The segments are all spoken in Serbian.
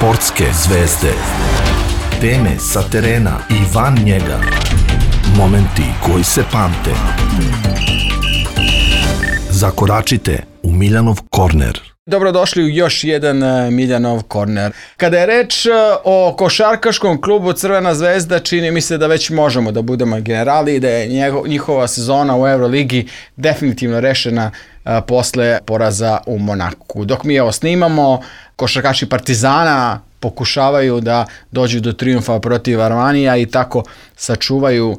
Sportske zvezde. Teme sa terena i van njega. Momenti koji se pamte. Zakoračite u Miljanov korner. Dobrodošli u još jedan Miljanov korner. Kada je reč o košarkaškom klubu Crvena zvezda, čini mi se da već možemo da budemo generali i da je njihova sezona u Euroligi definitivno rešena posle poraza u Monaku. Dok mi ovo snimamo, košarkaši Partizana pokušavaju da dođu do trijumfa protiv Armanija i tako sačuvaju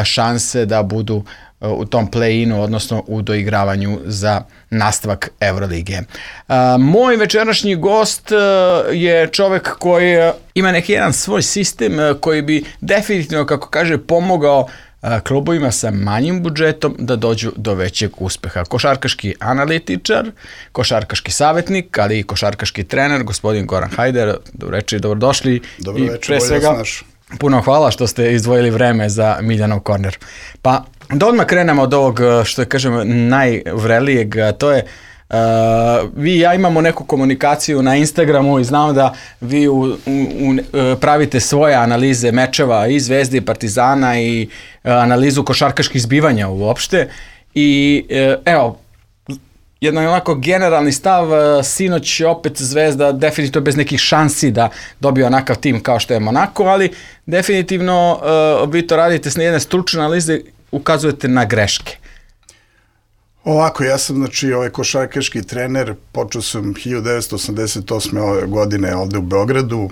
šanse da budu u tom play-inu, odnosno u doigravanju za nastavak Eurolige. Moj večerašnji gost je čovek koji ima neki jedan svoj sistem koji bi definitivno, kako kaže, pomogao klubovima sa manjim budžetom da dođu do većeg uspeha. Košarkaški analitičar, košarkaški savjetnik, ali i košarkaški trener, gospodin Goran Hajder. Dobro večer, dobrodošli. Dobro večer, pre svega, puno hvala što ste izdvojili vreme za Miljanov korner. Pa da odmah krenemo od ovog, što je, kažem, najvrelijeg, to je vi i ja imamo neku komunikaciju na Instagramu i znam da vi pravite svoje analize mečeva i Zvezde i Partizana i analizu košarkaških zbivanja uopšte i evo, jedan onako generalni stav, sinoć opet Zvezda definitivno bez nekih šansi da dobije onakav tim kao što je Monako, ali definitivno vi to radite s jedne stručne analize, ukazujete na greške. Ovako, ja sam košarkaški trener, počeo sam 1988. godine ovde u Beogradu,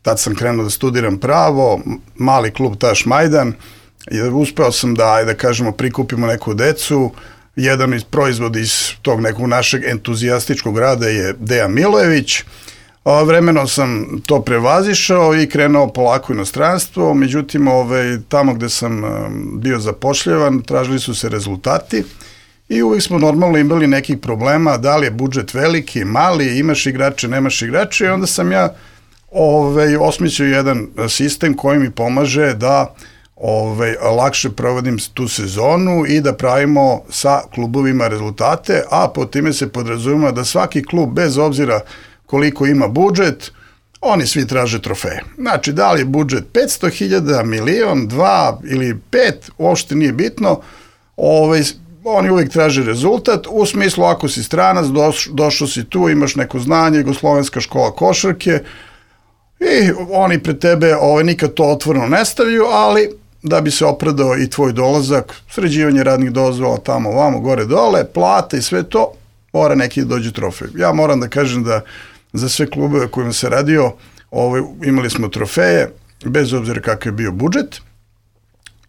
tad sam krenuo da studiram pravo, mali klub Taš Majdan, uspeo sam da kažemo, prikupimo neku decu, jedan iz proizvoda iz tog nekog našeg entuzijastičkog rada je Dejan Milojević. Vremenom sam to prevazišao i krenuo polako u inostranstvo, međutim tamo gde sam bio zapošljavan tražili su se rezultati i uvijek smo normalno imali nekih problema, da li je budžet veliki, mali, imaš igrače, nemaš igrače i onda sam ja osmislio jedan sistem koji mi pomaže da lakše provodim tu sezonu i da pravimo sa klubovima rezultate, a po time se podrazumeva da svaki klub, bez obzira koliko ima budžet, oni svi traže trofeje. Znači, da li je budžet 500.000, milion, 2 ili 5, uopšte nije bitno, oni uvijek traže rezultat, u smislu ako si stranac, došao si tu, imaš neko znanje, Jugoslovenska škola košarke i oni pred tebe nikad to otvoreno ne stavljaju, ali da bi se opravdao i tvoj dolazak, sređivanje radnih dozvola tamo, vamo, gore, dole, plate i sve to, mora neki dođe trofej. Ja moram da kažem da za sve klubove kojima se radio, imali smo trofeje, bez obzira kakav je bio budžet.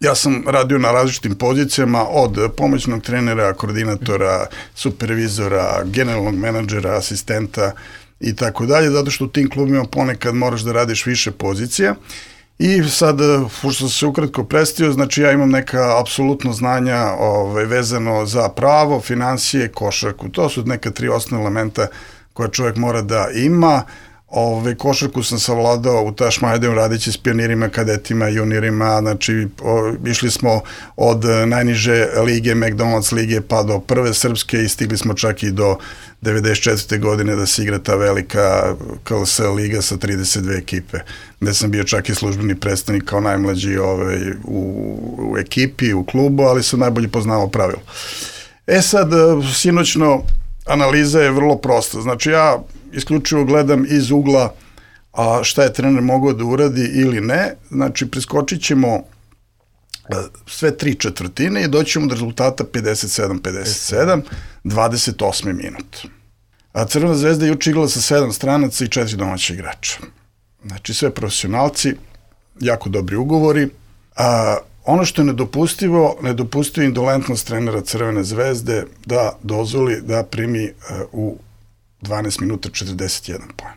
Ja sam radio na različitim pozicijama, od pomoćnog trenera, koordinatora, supervizora, generalnog menadžera, asistenta i tako dalje, zato što u tim klubima ponekad moraš da radiš više pozicija. I sad, što sam se ukratko predstavio, znači ja imam neka apsolutno znanja vezano za pravo, finansije, košarku. To su neka 3 osnovna elementa koja čovjek mora da ima. Košarku sam savladao u Taš Majdanu radeći s pionirima, kadetima, juniorima, znači išli smo od najniže lige, McDonald's lige, pa do prve srpske i stigli smo čak i do 94. godine da se igra ta velika KLS liga sa 32 ekipe, gde sam bio čak i službeni predstavnik kao najmlađi u ekipi, u klubu, ali sam najbolje poznavao pravilo. Sad, sinoćno analiza je vrlo prosta, znači ja isključivo gledam iz ugla šta je trener mogao da uradi ili ne, znači preskočit ćemo sve 3 četvrtine i doćemo do rezultata 57-57, 28. minut. Crvena zvezda je juče igrala sa 7 stranaca i 4 domaća igrača. Znači sve profesionalci, jako dobri ugovori. Ono što je nedopustivo indolentnost trenera Crvene zvezde da dozvoli da primi u 12 minuta 41 poen.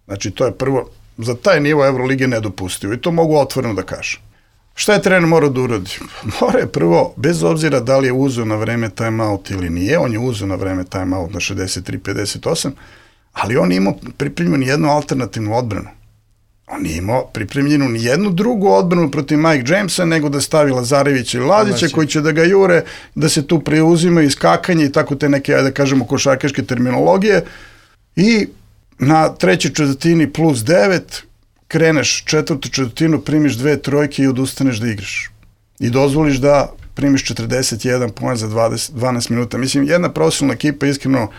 Znači, to je prvo, za taj nivo Eurolige nedopustivo i to mogu otvoreno da kažem. Šta je trener morao da uradi? Mora je prvo, bez obzira da li je uzeo na vreme timeout ili nije, on je uzeo na vreme timeout na 63-58, ali on nije imao pripremljenu nijednu alternativnu odbranu. On nije imao pripremljenu nijednu drugu odbranu protiv Mike Jamesa, nego da stavi Lazarevića ili Lazića koji će da ga jure, da se tu preuzimaju iskakanje i tako te neke, da kažemo, košarkaške terminologije. I na trećoj četvrtini plus 9, kreneš četvrtu četvrtinu, primiš 2 trojke i odustaneš da igraš. I dozvoliš da primiš 41 poen za 12 minuta. Mislim, jedna profesionalna ekipa, iskreno,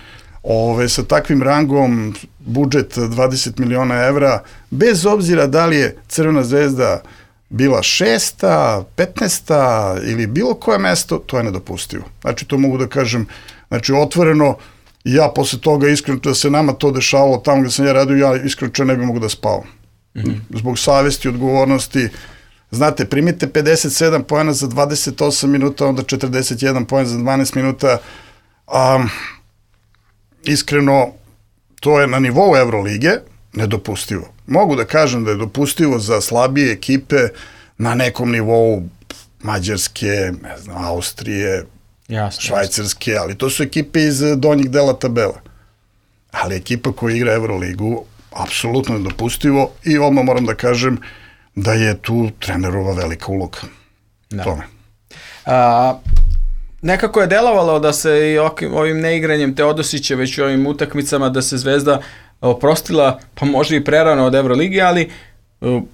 sa takvim rangom, budžet 20 miliona evra, bez obzira da li je Crvena zvezda bila 6., 15. ili bilo koje mesto, to je nedopustivo. Znači, to mogu da kažem, znači, otvoreno, ja posle toga, iskreno, da se nama to dešavalo tamo gde sam ja radio, ja iskreno ne bi mogu da spavam. Zbog savesti, odgovornosti. Znate, primite 57 poena za 28 minuta, onda 41 poen za 12 minuta. Iskreno, to je na nivou Evrolige nedopustivo. Mogu da kažem da je dopustivo za slabije ekipe na nekom nivou Mađarske, ne znam, Austrije, Švajcarske, ali to su ekipe iz donjih dela tabela. Ali ekipa koja igra Evroligu, apsolutno nedopustivo i odmah moram da kažem da je tu trenerova velika uloga. Tome. Nekako je delovalo da se i ovim neigranjem Teodosića već u ovim utakmicama da se Zvezda oprostila, pa možda i prerano od Evrolige, ali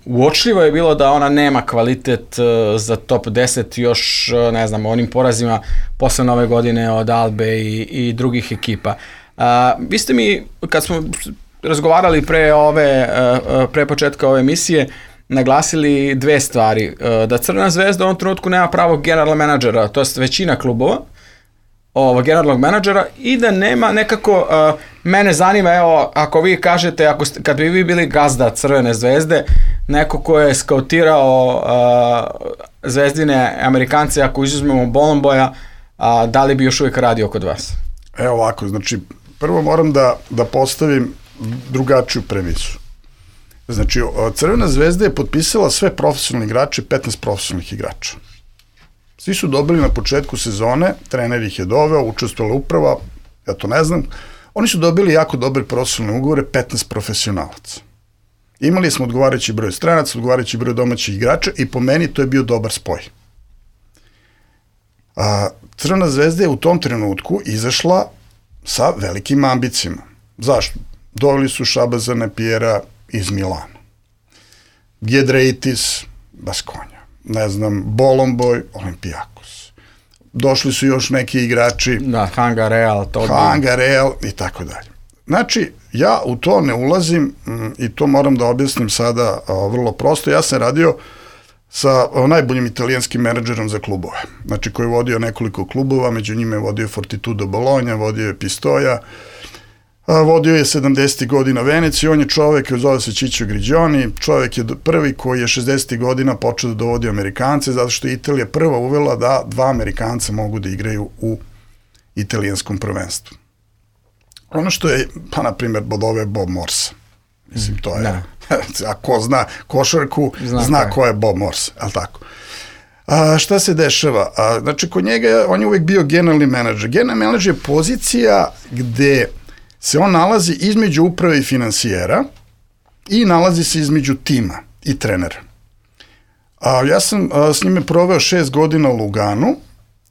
uočljivo je bilo da ona nema kvalitet za top 10 još, ne znam, onim porazima posle nove godine od Albe i drugih ekipa. Vi ste mi, kad smo razgovarali pre početka ove emisije, naglasili 2 stvari. Da Crvena zvezda u ovom trenutku nema pravog generalnog menadžera, to je većina klubova, generalnog menadžera, i da nema nekako, mene zanima, evo, ako vi kažete, kad bi vi bili gazda Crvene zvezde, neko ko je skautirao zvezdine Amerikance, ako izuzmemo Bolomboja, da li bi još uvijek radio kod vas? Evo ovako, znači, prvo moram da postavim drugačiju premisu. Znači, Crvena zvezda je potpisala sve profesionalne igrače, 15 profesionalnih igrača. Svi su dobili na početku sezone, trener ih je doveo, učestvovala uprava, ja to ne znam, oni su dobili jako dobre profesionalne ugovore, 15 profesionalaca. Imali smo odgovarajući broj stranaca, odgovarajući broj domaćih igrača i po meni to je bio dobar spoj. Crvena zvezda je u tom trenutku izašla sa velikim ambicijama. Zašto? Doveli su Šabazana Pjera iz Milana, Giedraitis, Baskonja, ne znam, Bolomboj, Olimpijakos. Došli su još neki igrači. Da, Hanga Real, i tako dalje. Znači, ja u to ne ulazim i to moram da objasnim sada vrlo prosto. Ja sam radio sa najboljim italijanskim menadžerom za klubove. Znači, koji je vodio nekoliko klubova, među njima je vodio Fortitudo Bologna, vodio je Pistoia, vodio je 70. godina Veneciju, on je čovek, zove se Ciccio Grigioni, čovek je prvi koji je 60. godina počeo da dovodi Amerikance, zato što je Italija prva uvela da 2 Amerikanca mogu da igraju u italijanskom prvenstvu. Ono što je, pa na primjer, bodove Bob Morse. Mislim, to je, a ko zna košarku, zna ko je Bob Morse, ali tako. Šta se dešava? Znači, kod njega, on je uvek bio generalni menadžer. Generalni menadžer je pozicija gde se on nalazi između uprave i finansijera i nalazi se između tima i trenera. Ja sam s njime proveo 6 godina u Luganu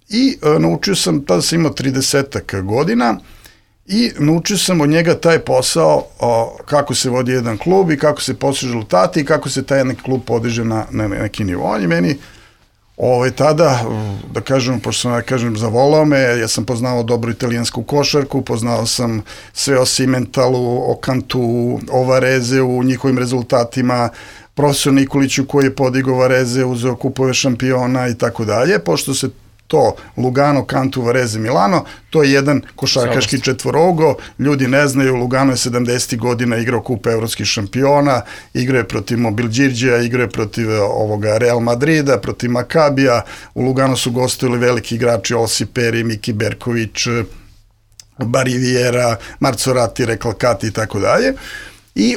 i naučio sam, tada sam imao 30 godina, i naučio sam od njega taj posao kako se vodi jedan klub i kako se postižu rezultati i kako se taj jedan klub podiže na neki nivo. On je meni tada, da kažem, pošto sam, da kažem, zavolao me, ja sam poznao dobru italijansku košarku, poznao sam sve o Simentalu, o Cantu, o Varezeu, njihovim rezultatima, profesor Nikoliću koji je podigao Vareze, uzeo kupove šampiona i tako dalje, pošto se to Lugano, Cantu, Varese, Milano, to je jedan košarkaški četvorougo, ljudi ne znaju, Lugano je 70. godina igrao kup evropskih šampiona, igrao je protiv Mobilđirđija, igrao je protiv Real Madrida, protiv Makabija, u Lugano su gostovali veliki igrači, Osi Peri, Miki Berković, Bariviera, Marzorati, Recalcati i tako dalje, i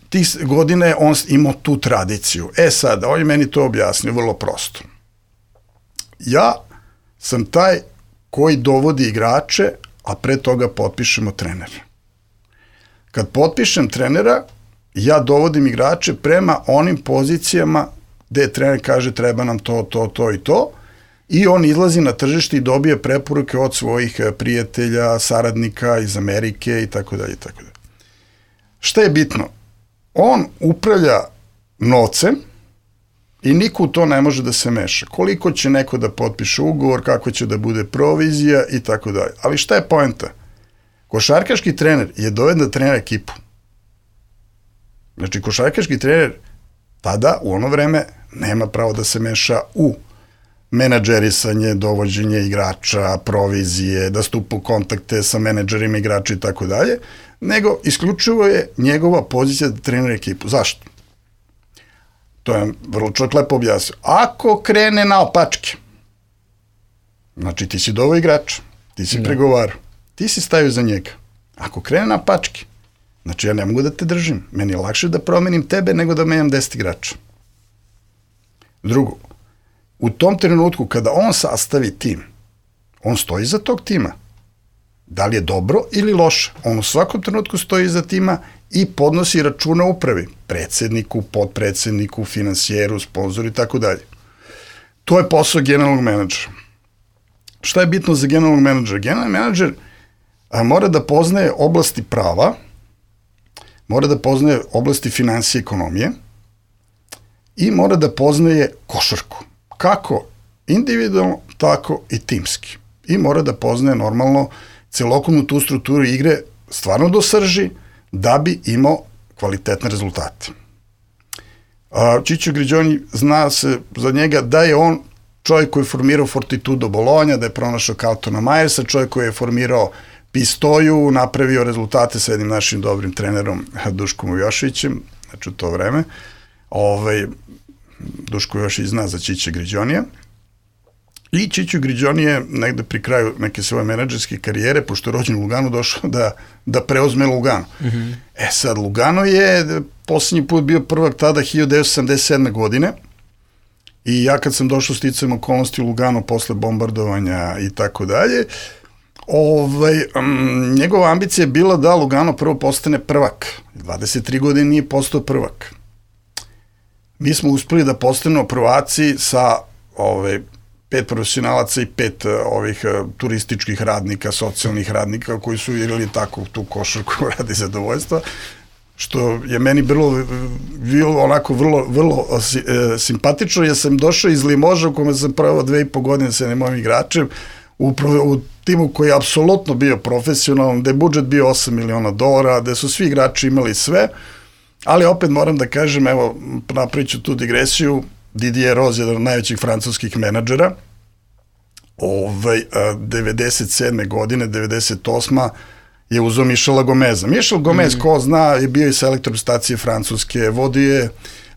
tih godine on imao tu tradiciju. Sad, on je meni to objasnio vrlo prosto. Ja sam taj koji dovodi igrače, a pre toga potpišemo trenera. Kad potpišem trenera, ja dovodim igrače prema onim pozicijama gde trener kaže treba nam to i to, i on izlazi na tržište i dobije preporuke od svojih prijatelja, saradnika iz Amerike i tako dalje i tako dalje. Šta je bitno? On upravlja novcem i niko u to ne može da se meša. Koliko će neko da potpiše ugovor, kako će da bude provizija i tako dalje. Ali šta je poenta? Košarkaški trener je doveden da trenira ekipu. Znači, košarkaški trener tada, u ono vreme, nema pravo da se meša u menadžerisanje, dovođenje igrača, provizije, da stupa u kontakte sa menadžerima igrača i tako dalje, nego isključivo je njegova pozicija da trenira ekipu. Zašto? To je vrlo čovjek lepo objasnio. Ako krene naopačke, znači ti si doveo igrača, ti si pregovarao, ti si stavio za njega. Ako krene naopačke, znači ja ne mogu da te držim. Meni je lakše da promenim tebe nego da menjam 10 igrača. Drugo, u tom trenutku kada on sastavi tim, on stoji iza tog tima. Da li je dobro ili loše? On u svakom trenutku stoji iza tima i podnosi računa upravi, predsedniku, podpredsedniku, finansijeru, sponzoru i tako dalje. To je posao generalnog menadžera. Šta je bitno za generalnog menadžera? Generalni menadžer mora da poznaje oblasti prava, mora da poznaje oblasti finansije i ekonomije i mora da poznaje košarku. Kako individualno, tako i timski. I mora da poznaje normalno celokupnu tu strukturu igre stvarno do srži da bi imao kvalitetne rezultate. Ciccio Grigioni zna se za njega da je on čovjek koji je formirao Fortitudo Bologna, da je pronašao Carltona Myersa, čovjek koji je formirao Pistoju, napravio rezultate sa jednim našim dobrim trenerom Duškom Jošićem, znači u to vreme. Duško Jošić zna za Ciccia Grigionija. I Ciccio Grigioni je negde pri kraju neke svoje menadžerske karijere, pošto je rođen u Luganu, došao da preuzme Lugano. Sad, Lugano je posljednji put bio prvak tada 1977. godine i ja kad sam došao sticajem okolnosti u Lugano posle bombardovanja i tako dalje, njegova ambicija je bila da Lugano prvo postane prvak. 23 godine nije postao prvak. Mi smo uspeli da postanemo prvaci sa 5 profesionalaca i 5 ovih turističkih radnika, socijalnih radnika koji su igrali tako tu košarku radi zadovoljstva, što je meni bilo onako vrlo simpatično, jer sam došao iz Limoža u kome sam pravio 2,5 godine sa jednim mojim igračem u timu koji je apsolutno bio profesionalan, gde je budžet bio $8 miliona, gde su svi igrači imali sve, ali opet moram da kažem, evo, napravit ću tu digresiju, Didier Rose je jedan od najvećih francuskih menadžera, 97. godine, 98. je uzeo Michela Gomeza. Michel Gomez, ko zna, je bio i selektor stacije Francuske, vodio je,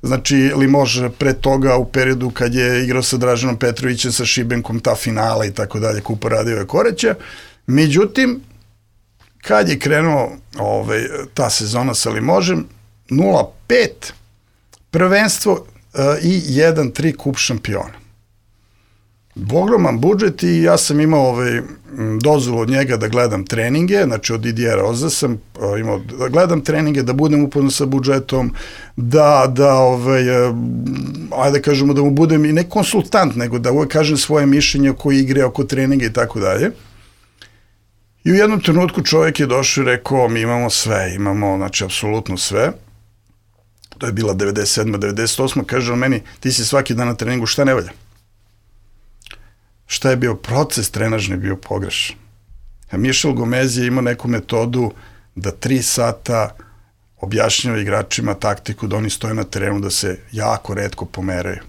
znači, Limoges pre toga u periodu kad je igrao sa Draženom Petrovićem, sa Šibenkom, ta finala i tako dalje, Kupa Radijeva Koreća. Međutim, kad je krenuo ta sezona sa Limožem, 0-5 prvenstvo i 1-3 kup šampiona. Ogroman budžet i ja sam imao dozvolu od njega da gledam treninge, znači od Didiera Roza sam imao da gledam treninge, da budem upoznat sa budžetom, ajde kažemo da mu budem i ne konsultant, nego da uvek kažem svoje mišljenje oko igre, oko treninga i tako dalje. I u jednom trenutku čovjek je došao i rekao, mi imamo sve, imamo, znači, apsolutno sve. To je bila 97. 98. Kaže on meni, ti si svaki dan na treningu, šta ne valja? Šta je bio proces trenažni bio pogrešan? Michel Gomez je imao neku metodu da 3 sata objašnjava igračima taktiku, da oni stoje na terenu, da se jako retko pomeraju.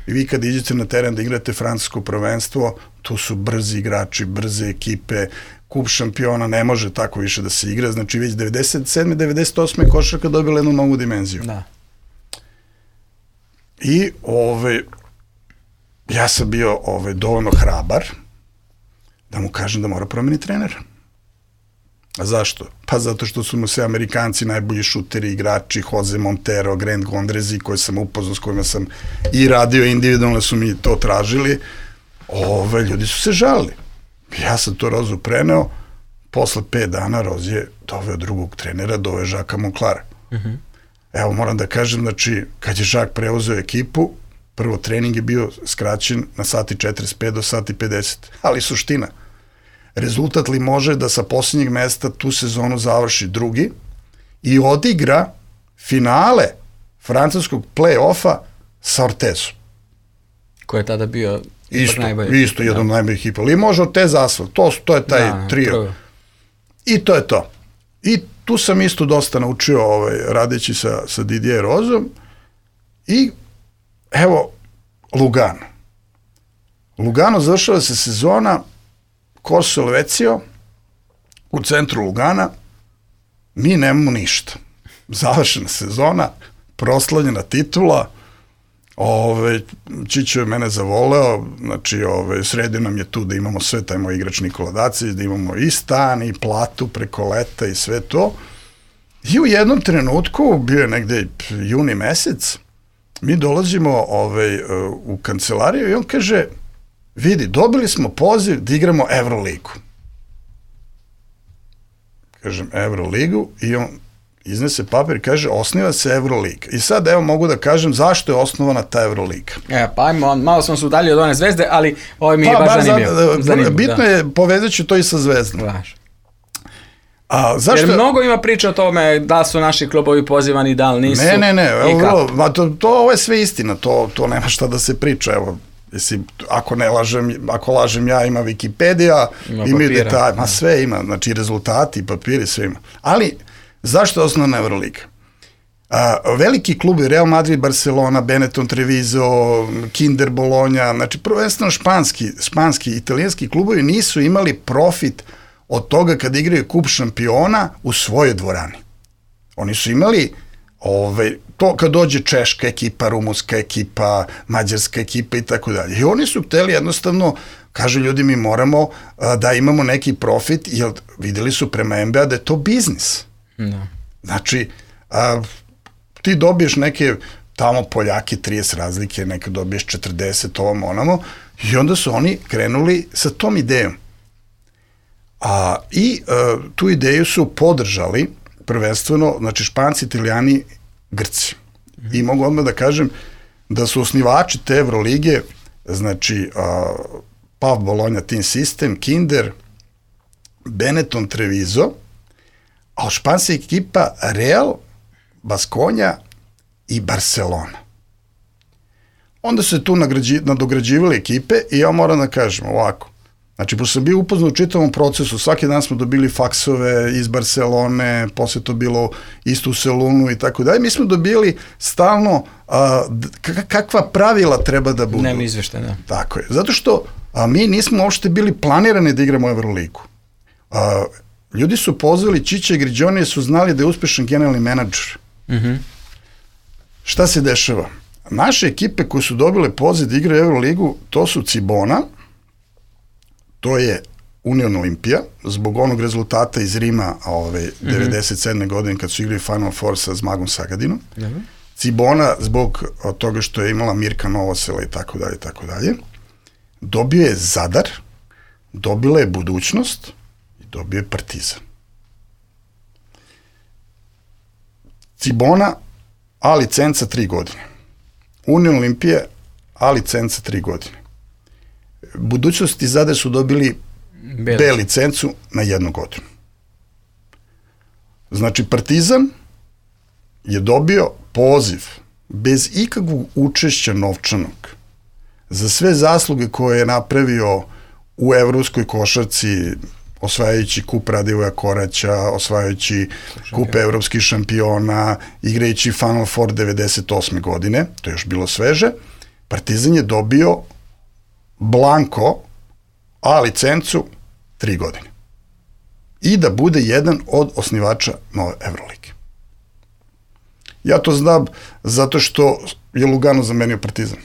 I vi kad iđete na teren da igrate francusko prvenstvo, tu su brzi igrači, brze ekipe, kup šampiona ne može tako više da se igra, znači već 97. 98. košarka dobila jednu novu dimenziju. Da. I ja sam bio dovoljno hrabar da mu kažem da mora promeniti trenera. A zašto? Pa zato što su mu sve Amerikanci najbolji šuteri, igrači, Jose Montero, Grant Gondrezi, koje sam upoznao, s kojima sam i radio individualno, su mi to tražili. Ljudi su se žalili. Ja sam to Rozu preneo, posle 5 dana Roz je doveo drugog trenera, doveo Žaka Monclara. Evo, moram da kažem, znači, kad je Žak preuzeo ekipu, prvo trening je bio skraćen na sati 45 do sati 50, ali suština, rezultat li može da sa posljednjeg mesta tu sezonu završi drugi i odigra finale francuskog play-offa sa Ortezom. Ko je tada bio Isto jedan od najboljih ekipa. Ali može Ortez Asfalt, to je taj trio. I to je to. I tu sam isto dosta naučio radeći sa Didier Rozom i evo Lugano. Lugano završava se sezona Corso Helvecio u centru Lugana, mi nemamo ništa. Završena sezona, proslavljena titula, Čićo je mene zavoleo, znači sredio nam je tu da imamo sve, taj moj igrač Nikola Dacić, da imamo i stan i platu preko leta i sve to. I u jednom trenutku, bio je negde juni mesec, mi dolazimo u kancelariju i on kaže, vidi, dobili smo poziv da igramo Euroligu. Kažem, Euroligu, i on iznese papir i kaže, osniva se Euroliga. I sad, evo, mogu da kažem zašto je osnovana ta Euroliga. Pa ajmo, malo smo se udalili od one Zvezde, ali ovo mi je baš zanimljivo. Bitno je, povezat ću to i sa Zvezdom. Jer mnogo ima priča o tome da su naši klubovi pozivani, da li nisu. Ne, ovo je sve istina, to nema šta da se priča, evo. Ako lažem ja, ima Wikipedija, ima detalj, sve ima, znači rezultati, papiri, sve ima. Ali, zašto je osnovna Euroliga? Veliki klubi, Real Madrid, Barcelona, Benetton, Treviso, Kinder, Bologna, znači prvenstveno španski, italijanski klubovi nisu imali profit od toga kad igraju kup šampiona u svojoj dvorani. Oni su imali to kad dođe češka ekipa, rumunska ekipa, mađarska ekipa i tako dalje. I oni su hteli jednostavno, kažu ljudi, mi moramo da imamo neki profit, jer videli su prema NBA da je to biznis. Znači, ti dobiješ neke tamo Poljake 30 razlike, neka dobiješ 40, ovom onamo, i onda su oni krenuli sa tom idejom. I tu ideju su podržali prvenstveno, znači Španci, Italijani, Grci. I mogu odmah da kažem da su osnivači te Evrolige, znači PAF Bologna Team System, Kinder, Benetton, Treviso, a španska ekipa Real, Baskonja i Barcelona. Onda su se tu nadograđivali ekipe i ja moram da kažem ovako, znači, pošto sam bio upoznat u čitavom procesu, svaki dan smo dobili faksove iz Barcelone, posle to bilo isto u Selunu i tako dalje, mi smo dobili stalno kakva pravila treba da budu. Nema izveštaj, da. Tako je, zato što mi nismo uopšte bili planirani da igramo Euroligu. Ljudi su pozvali Čića i Griđone, su znali da je uspešan generalni menadžer. Šta se dešava? Naše ekipe koje su dobile poziv da igraju Euroligu, to su Cibona, to je Union Olimpija, zbog onog rezultata iz Rima 97. godine kad su igrali Final Four sa Zmagom Sagadinom. Cibona zbog toga što je imala Mirka Novosela i tako dalje, tako dalje. Dobio je Zadar, dobila je Budućnost i dobio je Partizan. Cibona, A licenca 3 godine. Union Olimpija, A licenca 3 godine. Budućnost i Zadar su dobili B licencu na 1 godinu. Znači, Partizan je dobio poziv bez ikakvog učešća novčanog za sve zasluge koje je napravio u evropskoj košarci, osvajajući kup Radivoja Koraća, osvajajući kup evropskih šampiona, igrajući Final Four 98. godine, to je još bilo sveže. Partizan je dobio blanko A licencu 3 godine. I da bude jedan od osnivača nove Evrolige. Ja to znam zato što je Lugano zamenio Partizan.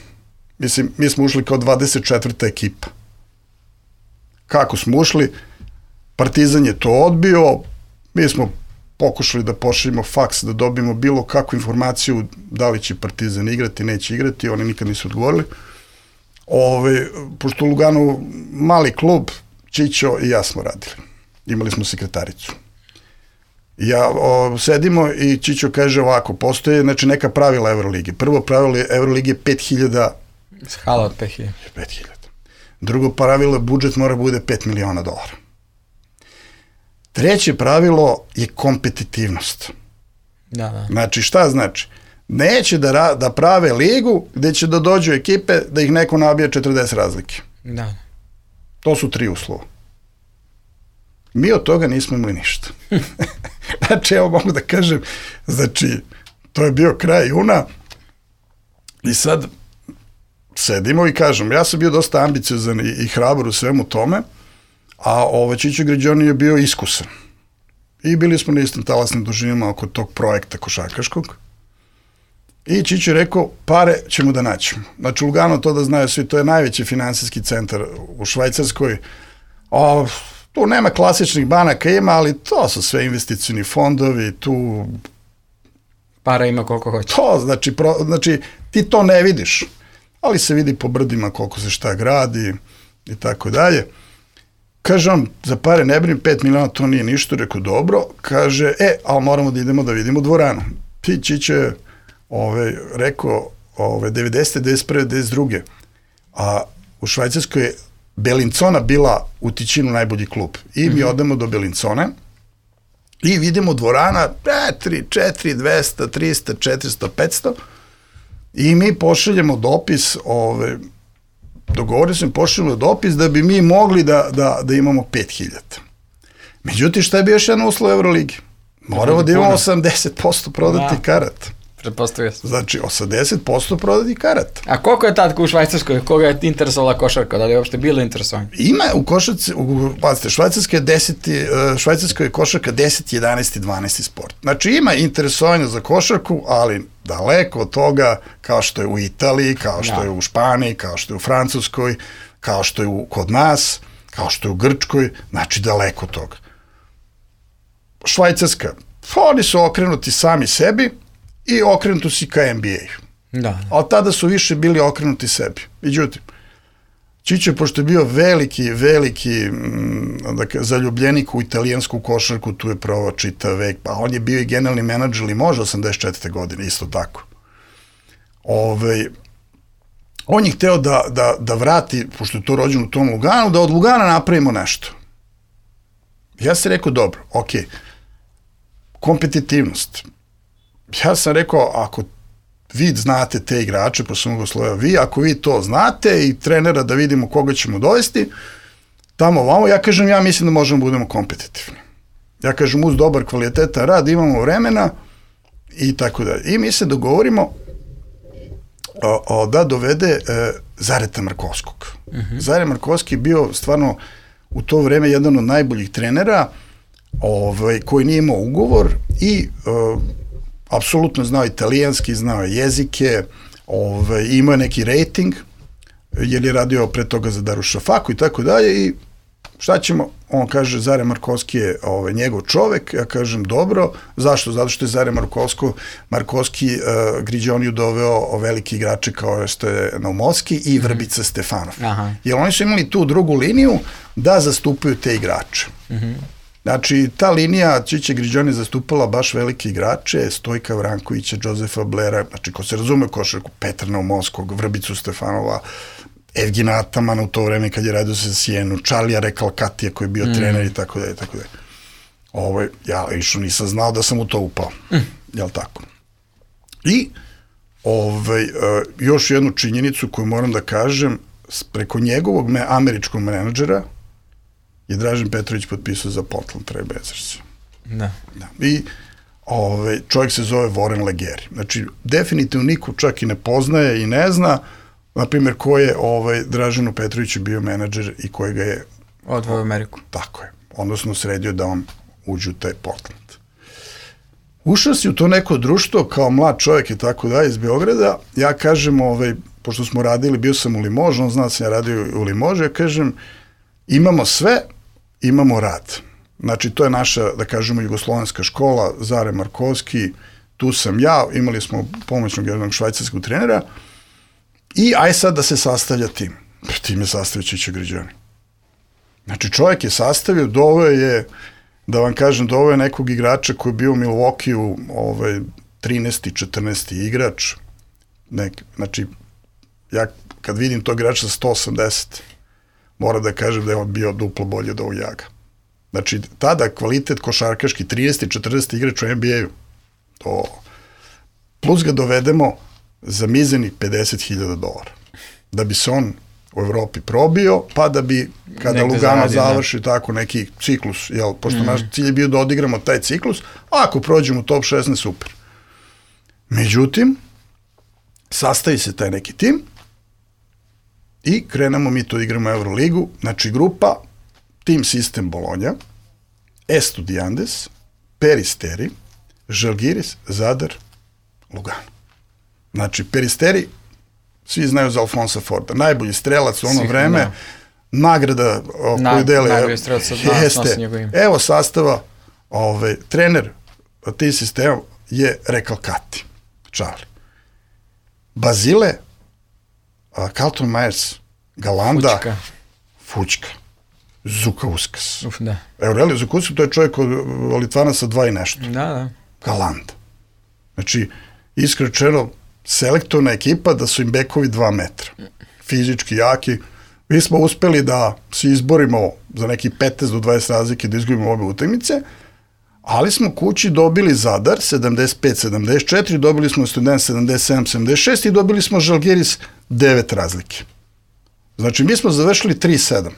Mislim, mi smo ušli kao 24. ekipa. Kako smo ušli? Partizan je to odbio, mi smo pokušali da pošaljemo faks, da dobijemo bilo kakvu informaciju da li će Partizan igrati, neće igrati, oni nikad nisu odgovorili. Pošto Lugano mali klub, Čićo i ja smo radili. Imali smo sekretaricu. Ja sedimo i Čićo kaže ovako, postoje znači, neka pravila Evrolige. Prvo pravilo Evrolige je 5000... Hala od 5000. 5000. Drugo pravilo je budžet mora bude $5 miliona. Treće pravilo je kompetitivnost. Da. Znači, šta znači? Neće da prave ligu gde će da dođu ekipe da ih neko nabija 40 razlike. Da. To su 3 uslova. Mi od toga nismo imali ništa. Znači, evo mogu da kažem, znači, to je bio kraj juna i sad sedimo i kažem, ja sam bio dosta ambiciozan i hrabar u svemu tome, a Čičo Griđoni je bio iskusan. I bili smo na istim talasnim dužinama oko tog projekta košarkaškog. I Čičo je rekao, pare ćemo da naćemo. Znači, Lugano, to da znaju svi, to je najveći finansijski centar u Švajcarskoj. Tu nema klasičnih banaka, ima, ali to su sve investicioni fondovi, tu... Para ima koliko hoće. To, znači, ti to ne vidiš, ali se vidi po brdima koliko se šta gradi i tako dalje. Kaže on, za pare ne brim, 5 miliona, to nije ništa, rekao, dobro. Kaže, ali moramo da idemo da vidimo dvoranu. Ti Čičo je rekao, 90. 91. 92. A u Švajcarskoj je Belincona bila u Tićinu najbolji klub. I mi odemo do Belincone i vidimo dvorana 4, 200, 300, 400, 500 i mi pošaljemo dopis, dogovorio sam, pošaljemo dopis da bi mi mogli da imamo 5000. Međutim, šta je bio još jedan uslov Euroligi? Moramo da imamo 80% prodati karata. Pretpostavio sam. Znači, 80% prodati karata. A koliko je tad u Švajcarskoj, koga je interesovala košarka, da li je uopšte bilo interesovanje? Ima u košarci, pazite, Švajcarskoj je košarka 10, 11 i 12 sport. Znači, ima interesovanje za košarku, ali daleko od toga, kao što je u Italiji, kao što je u Španiji, kao što je u Francuskoj, kao što je kod nas, kao što je u Grčkoj, znači daleko od toga. Švajcarska, oni su okrenuti sami sebi, i okrenuti si ka NBA-u. Da. Ali tada su više bili okrenuti sebi. Međutim, Čičo, pošto je bio veliki zaljubljenik u italijansku košarku, tu je provao čitav vek, pa on je bio i generalni menadžer ili može 84. godine, isto tako. On je hteo da vrati, pošto je to rođen u tom Luganu, da od Lugana napravimo nešto. Ja sam rekao, dobro, okej, kompetitivnost. Ja sam rekao, ako vi znate te igrače, pa sam ugoslovio, ako vi to znate i trenera da vidimo koga ćemo dovesti, tamo ovamo, ja kažem, ja mislim da možemo da budemo kompetitivni. Ja kažem, uz dobar kvalitetan rad, imamo vremena i tako dalje. I mi se dogovorimo da dovede Zareta Markovskog. Zare Markovski je bio stvarno u to vreme jedan od najboljih trenera koji nije imao ugovor i apsolutno znao italijanski, znao jezike, imao je neki rating, jer je radio pre toga za Darušafaku i tako dalje i šta ćemo? On kaže, Zare Markovski je njegov čovek, ja kažem, dobro, zašto? Zato što je Zare Markovski Griđoniju doveo veliki igrače kao što je Naumovski i Vrbica Stefanov. Jer oni su imali tu drugu liniju da zastupaju te igrače. Znači, ta linija Čiče Griđoni zastupala baš velike igrače, Stojka Vrankovića, Jozefa Blera, znači, ko se razume košarku, Petra Naumovskog, Vrbicu Stefanova, Evgena Atamana u to vreme kad je radio sa Sijenu, Charlija Recalcatija koji je bio trener i tako dalje, tako dalje. Ja išao nisam znao da sam u to upao, jel tako? I još jednu činjenicu koju moram da kažem, preko njegovog američkog menadžera je Dražen Petrović potpisao za Portland Trail Blazers. Da. I čovjek se zove Warren Legeri. Znači, definitivno niko čak i ne poznaje i ne zna, na primjer, ko je Draženu Petroviću bio menadžer i koji ga je odveo u Ameriku. Tako je. Odnosno sredio da on uđe u taj Portland. Ušao si u to neko društvo kao mlad čovjek i tako dalje iz Beograda. Ja kažem, pošto smo radili, bio sam u Limožu, on zna da sam ja radio u Limožu, ja kažem, imamo sve, imamo rad. Znači, to je naša, da kažemo, jugoslovenska škola, Zare Markovski, tu sam ja, imali smo pomoćnog jednog švajcarskog trenera i aj sad da se sastavlja tim. Tim je sastavio Čičo Griđoni. Znači, čovjek je sastavio, doveo je, da vam kažem, doveo je nekog igrača koji je bio u Milwaukee-u, 13. 14. igrač. Znači, ja kad vidim tog igrača sa 180, moram da kažem da je on bio duplo bolje od ovog Jaga. Znači, tada kvalitet košarkaški 30. 40. igrač u NBA-u, plus ga dovedemo za mizernih $50.000, da bi se on u Evropi probio, pa da bi, kada negde Lugano završi tako neki ciklus, jel, pošto naš cilj je bio da odigramo taj ciklus, a ako prođemo u top 16, super. Međutim, sastavi se taj neki tim i krenemo mi to igramo Euroligu, znači grupa, tim sistem Bologna, Estudiantes, Peristeri, Žalgiris, Zadar, Lugano. Znači, Peristeri, svi znaju za Alfonsa Forda, najbolji strelac u ono vreme, nagrada koju dele. Najbolji strelac nosi njegov ime. Evo sastava, trener tim sistemom je Recalcati, Charlie. Bazile, Carlton Myers, Galanda, Fučka, Zukauskas. Da. Aurelio Zukauskas, to je čovjek od Litvana sa 2 i nešto. Da. Galanda. Znači, iskrečeno, selektorna ekipa da su im bekovi 2 metra. Fizički jaki. Mi smo uspeli da se izborimo za neki 15 do 20 razlike, da izgubimo obe utakmice, ali smo kući dobili Zadar 75-74, dobili smo Student 77-76 i dobili smo Žalgiris 9 razlike. Znači, mi smo završili 3-7.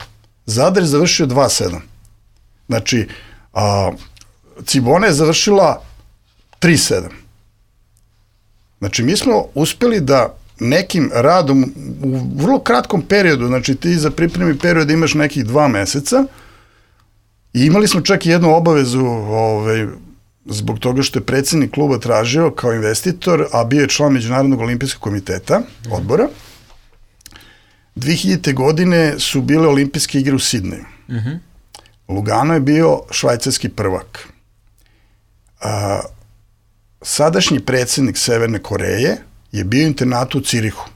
Zadar je završio 2-7. Znači, Cibona je završila 3-7. Znači, mi smo uspeli da nekim radom u vrlo kratkom periodu, znači ti za pripremi period imaš nekih 2 meseca i imali smo čak i jednu obavezu zbog toga što je predsjednik kluba tražio kao investitor, a bio je član Međunarodnog olimpijskog komiteta, odbora. 2000. godine su bile olimpijske igre u Sidneju. Lugano je bio švajcarski prvak. Sadašnji predsjednik Severne Koreje je bio u internatu u Cirihu.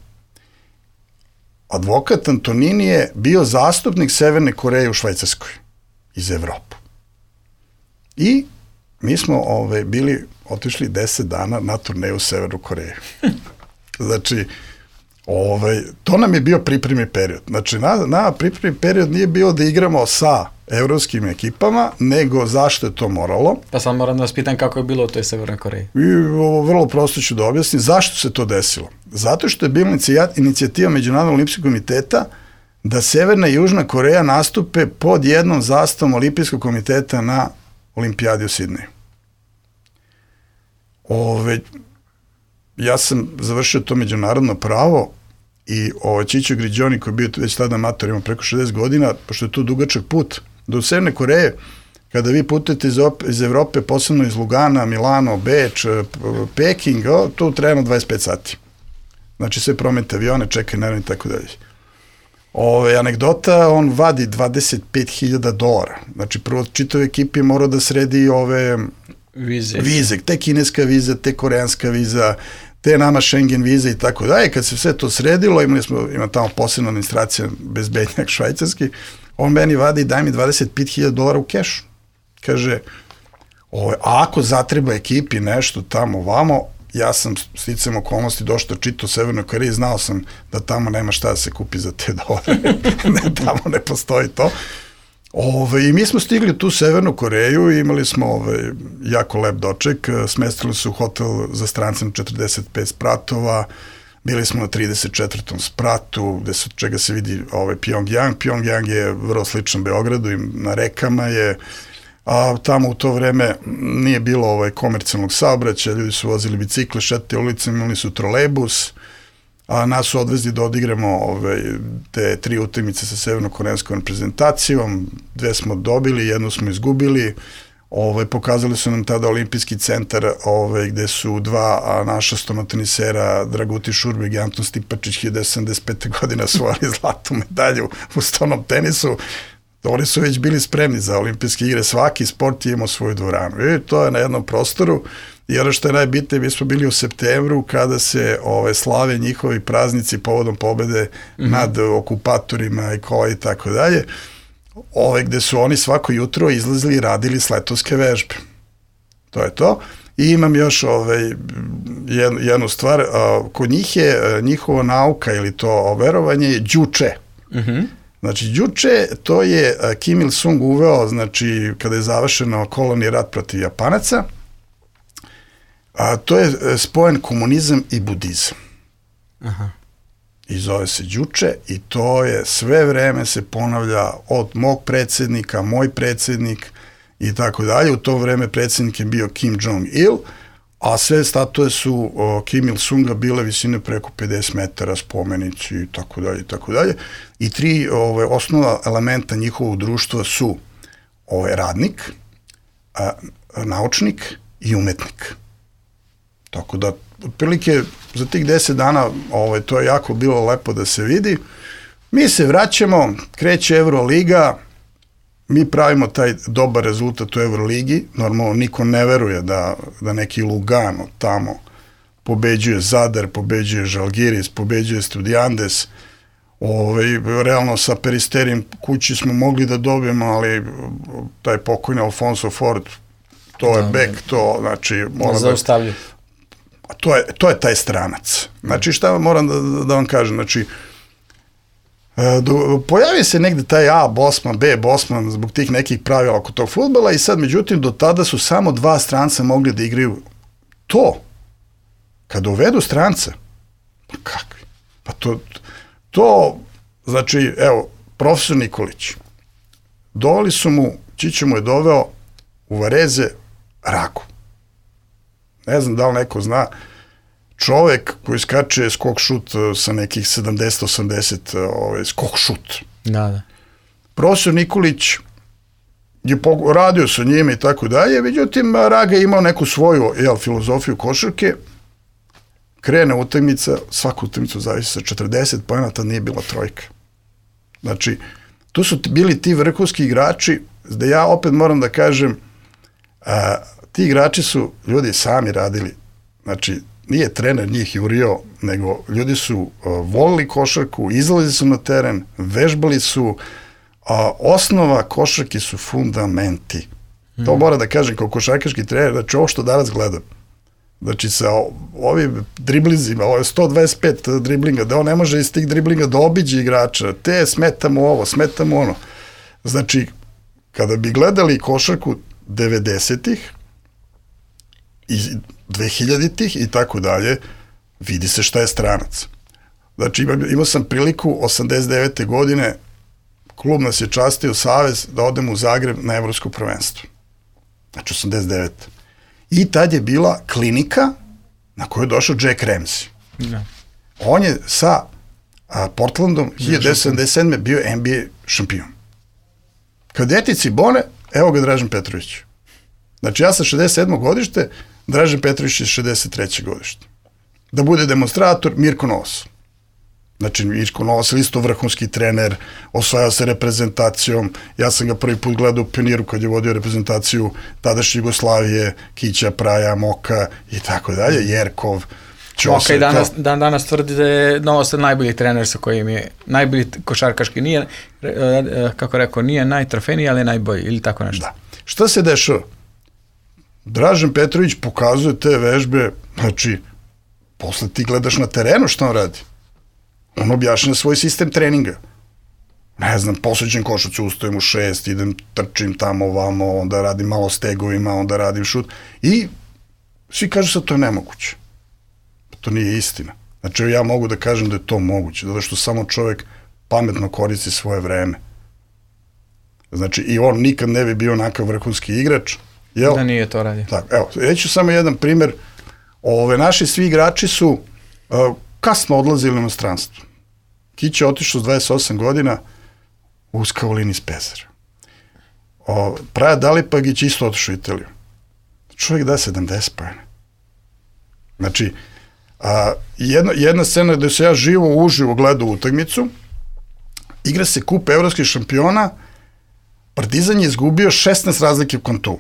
Advokat Antonini je bio zastupnik Severne Koreje u Švajcarskoj iz Evrope. I mi smo otišli 10 dana na turneju u Severnu Koreju. Znači, to nam je bio pripremni period. Znači, na pripremni period nije bio da igramo sa evropskim ekipama, nego zašto je to moralo. Pa sad moram da vas pitam kako je bilo u toj Severnoj Koreji. Vrlo prosto ću da objasnim. Zašto se to desilo? Zato što je bila inicijativa Međunarodnog olimpijskog komiteta da Severna i Južna Koreja nastupe pod jednom zastavom Olimpijskog komiteta na Olimpijadi u Sidneju. Ja sam završio to međunarodno pravo i Čićo Griđoni, koji je bio već tada amator, ima preko 60 godina, pošto je to dugačak put, do Severne Koreje, kada vi putujete iz Evrope, posebno iz Lugana, Milano, Beč, Peking, to treba 25 sati. Znači, sve promete avione, čekaj, naravno i tako dalje. Anegdota, on vadi $25.000. Znači, prvo čitave ekipi mora da sredi vize, te kineska viza, te koreanska viza, te nama Schengen viza i tako dalje. Kad se sve to sredilo, ima tamo posebna administracija, bezbednjak švajcarski, on meni vadi, daj mi $25.000 u kešu. Kaže, a ako zatreba ekipi nešto tamo vamo, ja sam sticam okolnosti došao čitao u Severnoj Koreji, znao sam da tamo nema šta da se kupi za te $. Tamo ne postoji to. I mi smo stigli tu u Severnu Koreju i imali smo jako lep doček, smestili su u hotel za strance na 45 spratova, bili smo na 34. spratu, čega se vidi Pyongyang. Pyongyang je vrlo sličan Beogradu i na rekama je, a tamo u to vreme nije bilo komercijalnog saobraćaja, ljudi su vozili bicikle, šetali ulicama, imali su trolejbus, a nas su odvezli da odigramo te 3 utakmice sa severno-koreanskom reprezentacijom, 2 smo dobili, 1 smo izgubili, pokazali su nam tada olimpijski centar gde su 2 naša stonotenisera, Dragutin Šurbeg i Anton Stipačić, 1975. godina osvojili zlatnu medalju u stonom tenisu. Oni su već bili spremni za olimpijske igre, svaki sport je imao svoju dvoranu. I to je na jednom prostoru. I ono što je najbitnije, mi smo bili u septembru kada se slave njihovi praznici povodom pobede nad okupatorima i kola i tako dalje, gde su oni svako jutro izlazili i radili sletovske vežbe. To je to. I imam još jednu stvar, kod njih je njihova nauka ili to verovanje đuče. Znači, đuče, to je Kim Il-sung uveo, znači, kada je završeno koloni rat protiv Japanaca, To je spojen komunizam i budizam. Aha. I zove se Đuče i to je sve vreme se ponavlja od mog predsjednika, moj predsjednik i tako dalje. U to vreme predsjednik je bio Kim Jong-il, a sve statue su Kim Il-sunga bile visine preko 50 metara, spomenici i tako dalje i tako dalje. I tri osnova elementa njihovog društva su radnik, naučnik i umetnik. Tako da, otprilike, za tih 10 dana to je jako bilo lepo da se vidi. Mi se vraćamo, kreće Euroliga, mi pravimo taj dobar rezultat u Euroligi, normalno niko ne veruje da neki Lugano tamo pobeđuje Zadar, pobeđuje Žalgiris, pobeđuje Estudiantes, realno sa Peristerijem kući smo mogli da dobijemo, ali taj pokojni Alfonso Ford, to je bek, to znači... Zaustavlja. To je taj stranac. Znači, šta moram da vam kažem, znači, pojavi se negde taj A Bosman, B Bosman zbog tih nekih pravila oko tog fudbala i sad, međutim, do tada su samo 2 stranca mogli da igraju to. Kada uvedu stranca, pa kakvi? Pa to, znači, evo, profesor Nikolić, doveli su mu, Čiča mu je doveo u Vareze Ragu. Ne znam da li neko zna, čovek koji skače skok šut sa nekih 70-80 skok šut. Da. Profesor Nikolić je radio sa njime i tako dalje, međutim Raga je imao neku svoju filozofiju košarke, krene utakmica, svaku utakmicu zavisi sa 40 poena, tad nije bila trojka. Znači, tu su bili ti vrhunski igrači, da ja opet moram da kažem, ti igrači su ljudi sami radili, znači nije trener njih jurio, nego ljudi su volili košarku, izlazili su na teren, vežbali su, osnova košarke su fundamenti. To mora da kažem kao košarkaški trener, znači ovo što danas gledam, znači sa ovim driblizima, ovo je 125 driblinga, da on ne može iz tih driblinga da obiđe igrača, te smetamo ovo, smetamo ono. Znači, kada bi gledali košarku 90-ih, i 2000-ih i tako dalje, vidi se šta je stranac. Znači, imao sam priliku 89. godine, klub nas je častio savez da odemo u Zagreb na evropsko prvenstvo. Znači, 89. I tad je bila klinika na koju je došao Jack Ramsey. Da. On je sa Portlandom 1977. bio NBA šampion. Kadetici Bone, evo ga Dražen Petrović. Znači, ja sam 67. godište, Dražen Petrović je 63. godište. Da bude demonstrator, Mirko Novos. Znači, Mirko Novos je isto vrhunski trener, osvajao se reprezentacijom, ja sam ga prvi put gledao u Pioniru kad je vodio reprezentaciju tadašnje Jugoslavije, Kića, Praja, Moka i tako dalje, Jerkov, Ćose. Moka i danas tvrdi da je Novos najbolji trener sa kojim je, najbolji košarkaški, nije, kako rekao, nije najtrofejniji, ali je najbolji, ili tako nešto. Da. Šta se dešava? Dražen Petrović pokazuje te vežbe, znači, posle ti gledaš na terenu šta on radi. On objašnja svoj sistem treninga. Ne znam, posuđen košac, ustajem u 6, idem, trčim tamo, ovamo, onda radim malo stegovima, onda radim šut. I svi kažu sad to je nemoguće. To nije istina. Znači, ja mogu da kažem da je to moguće, zato što samo čovek pametno koristi svoje vreme. Znači, i on nikad ne bi bio onakav vrhunski igrač. Jel? Da nije to radio. Tako, evo, reću samo jedan primer. Naši svi igrači su kasno odlazili u inostranstvo. Kić je otišao s 28 godina u Skavolini iz Pezara. Praja Dalipagić isto otišao u Italiju. Čovjek da 70 poena. Znači, jedna scena gde se ja uživo gledao utakmicu, igra se kup evropskih šampiona, Partizan je izgubio 16 razlike u Kantu.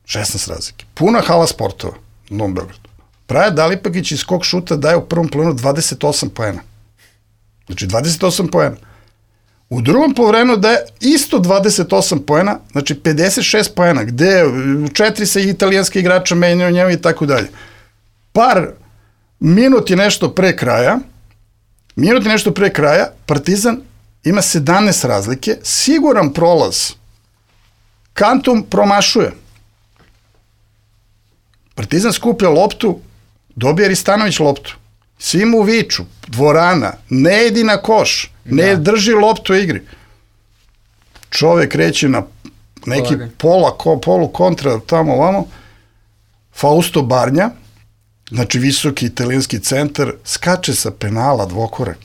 16 razlike. Puna hala sportova u Novom Beogradu. Praja Dalipagić iz skok šuta daje u prvom planu 28 poena. Znači 28 poena. U drugom povremenu daje isto 28 poena, znači 56 poena, gde 4 se italijanski igrača menjaju njemu i tako dalje. Minut je nešto pre kraja, Partizan ima 17 razlike, siguran prolaz. Kantum promašuje. Partizan skuplja loptu, dobije Ristanović loptu. Svi mu viču, dvorana, ne idi na koš, ne drži loptu u igri. Čovek kreće na neki polu kontra tamo ovamo, Fausto Barnja, znači visoki italijanski centar, skače sa penala dvokorak.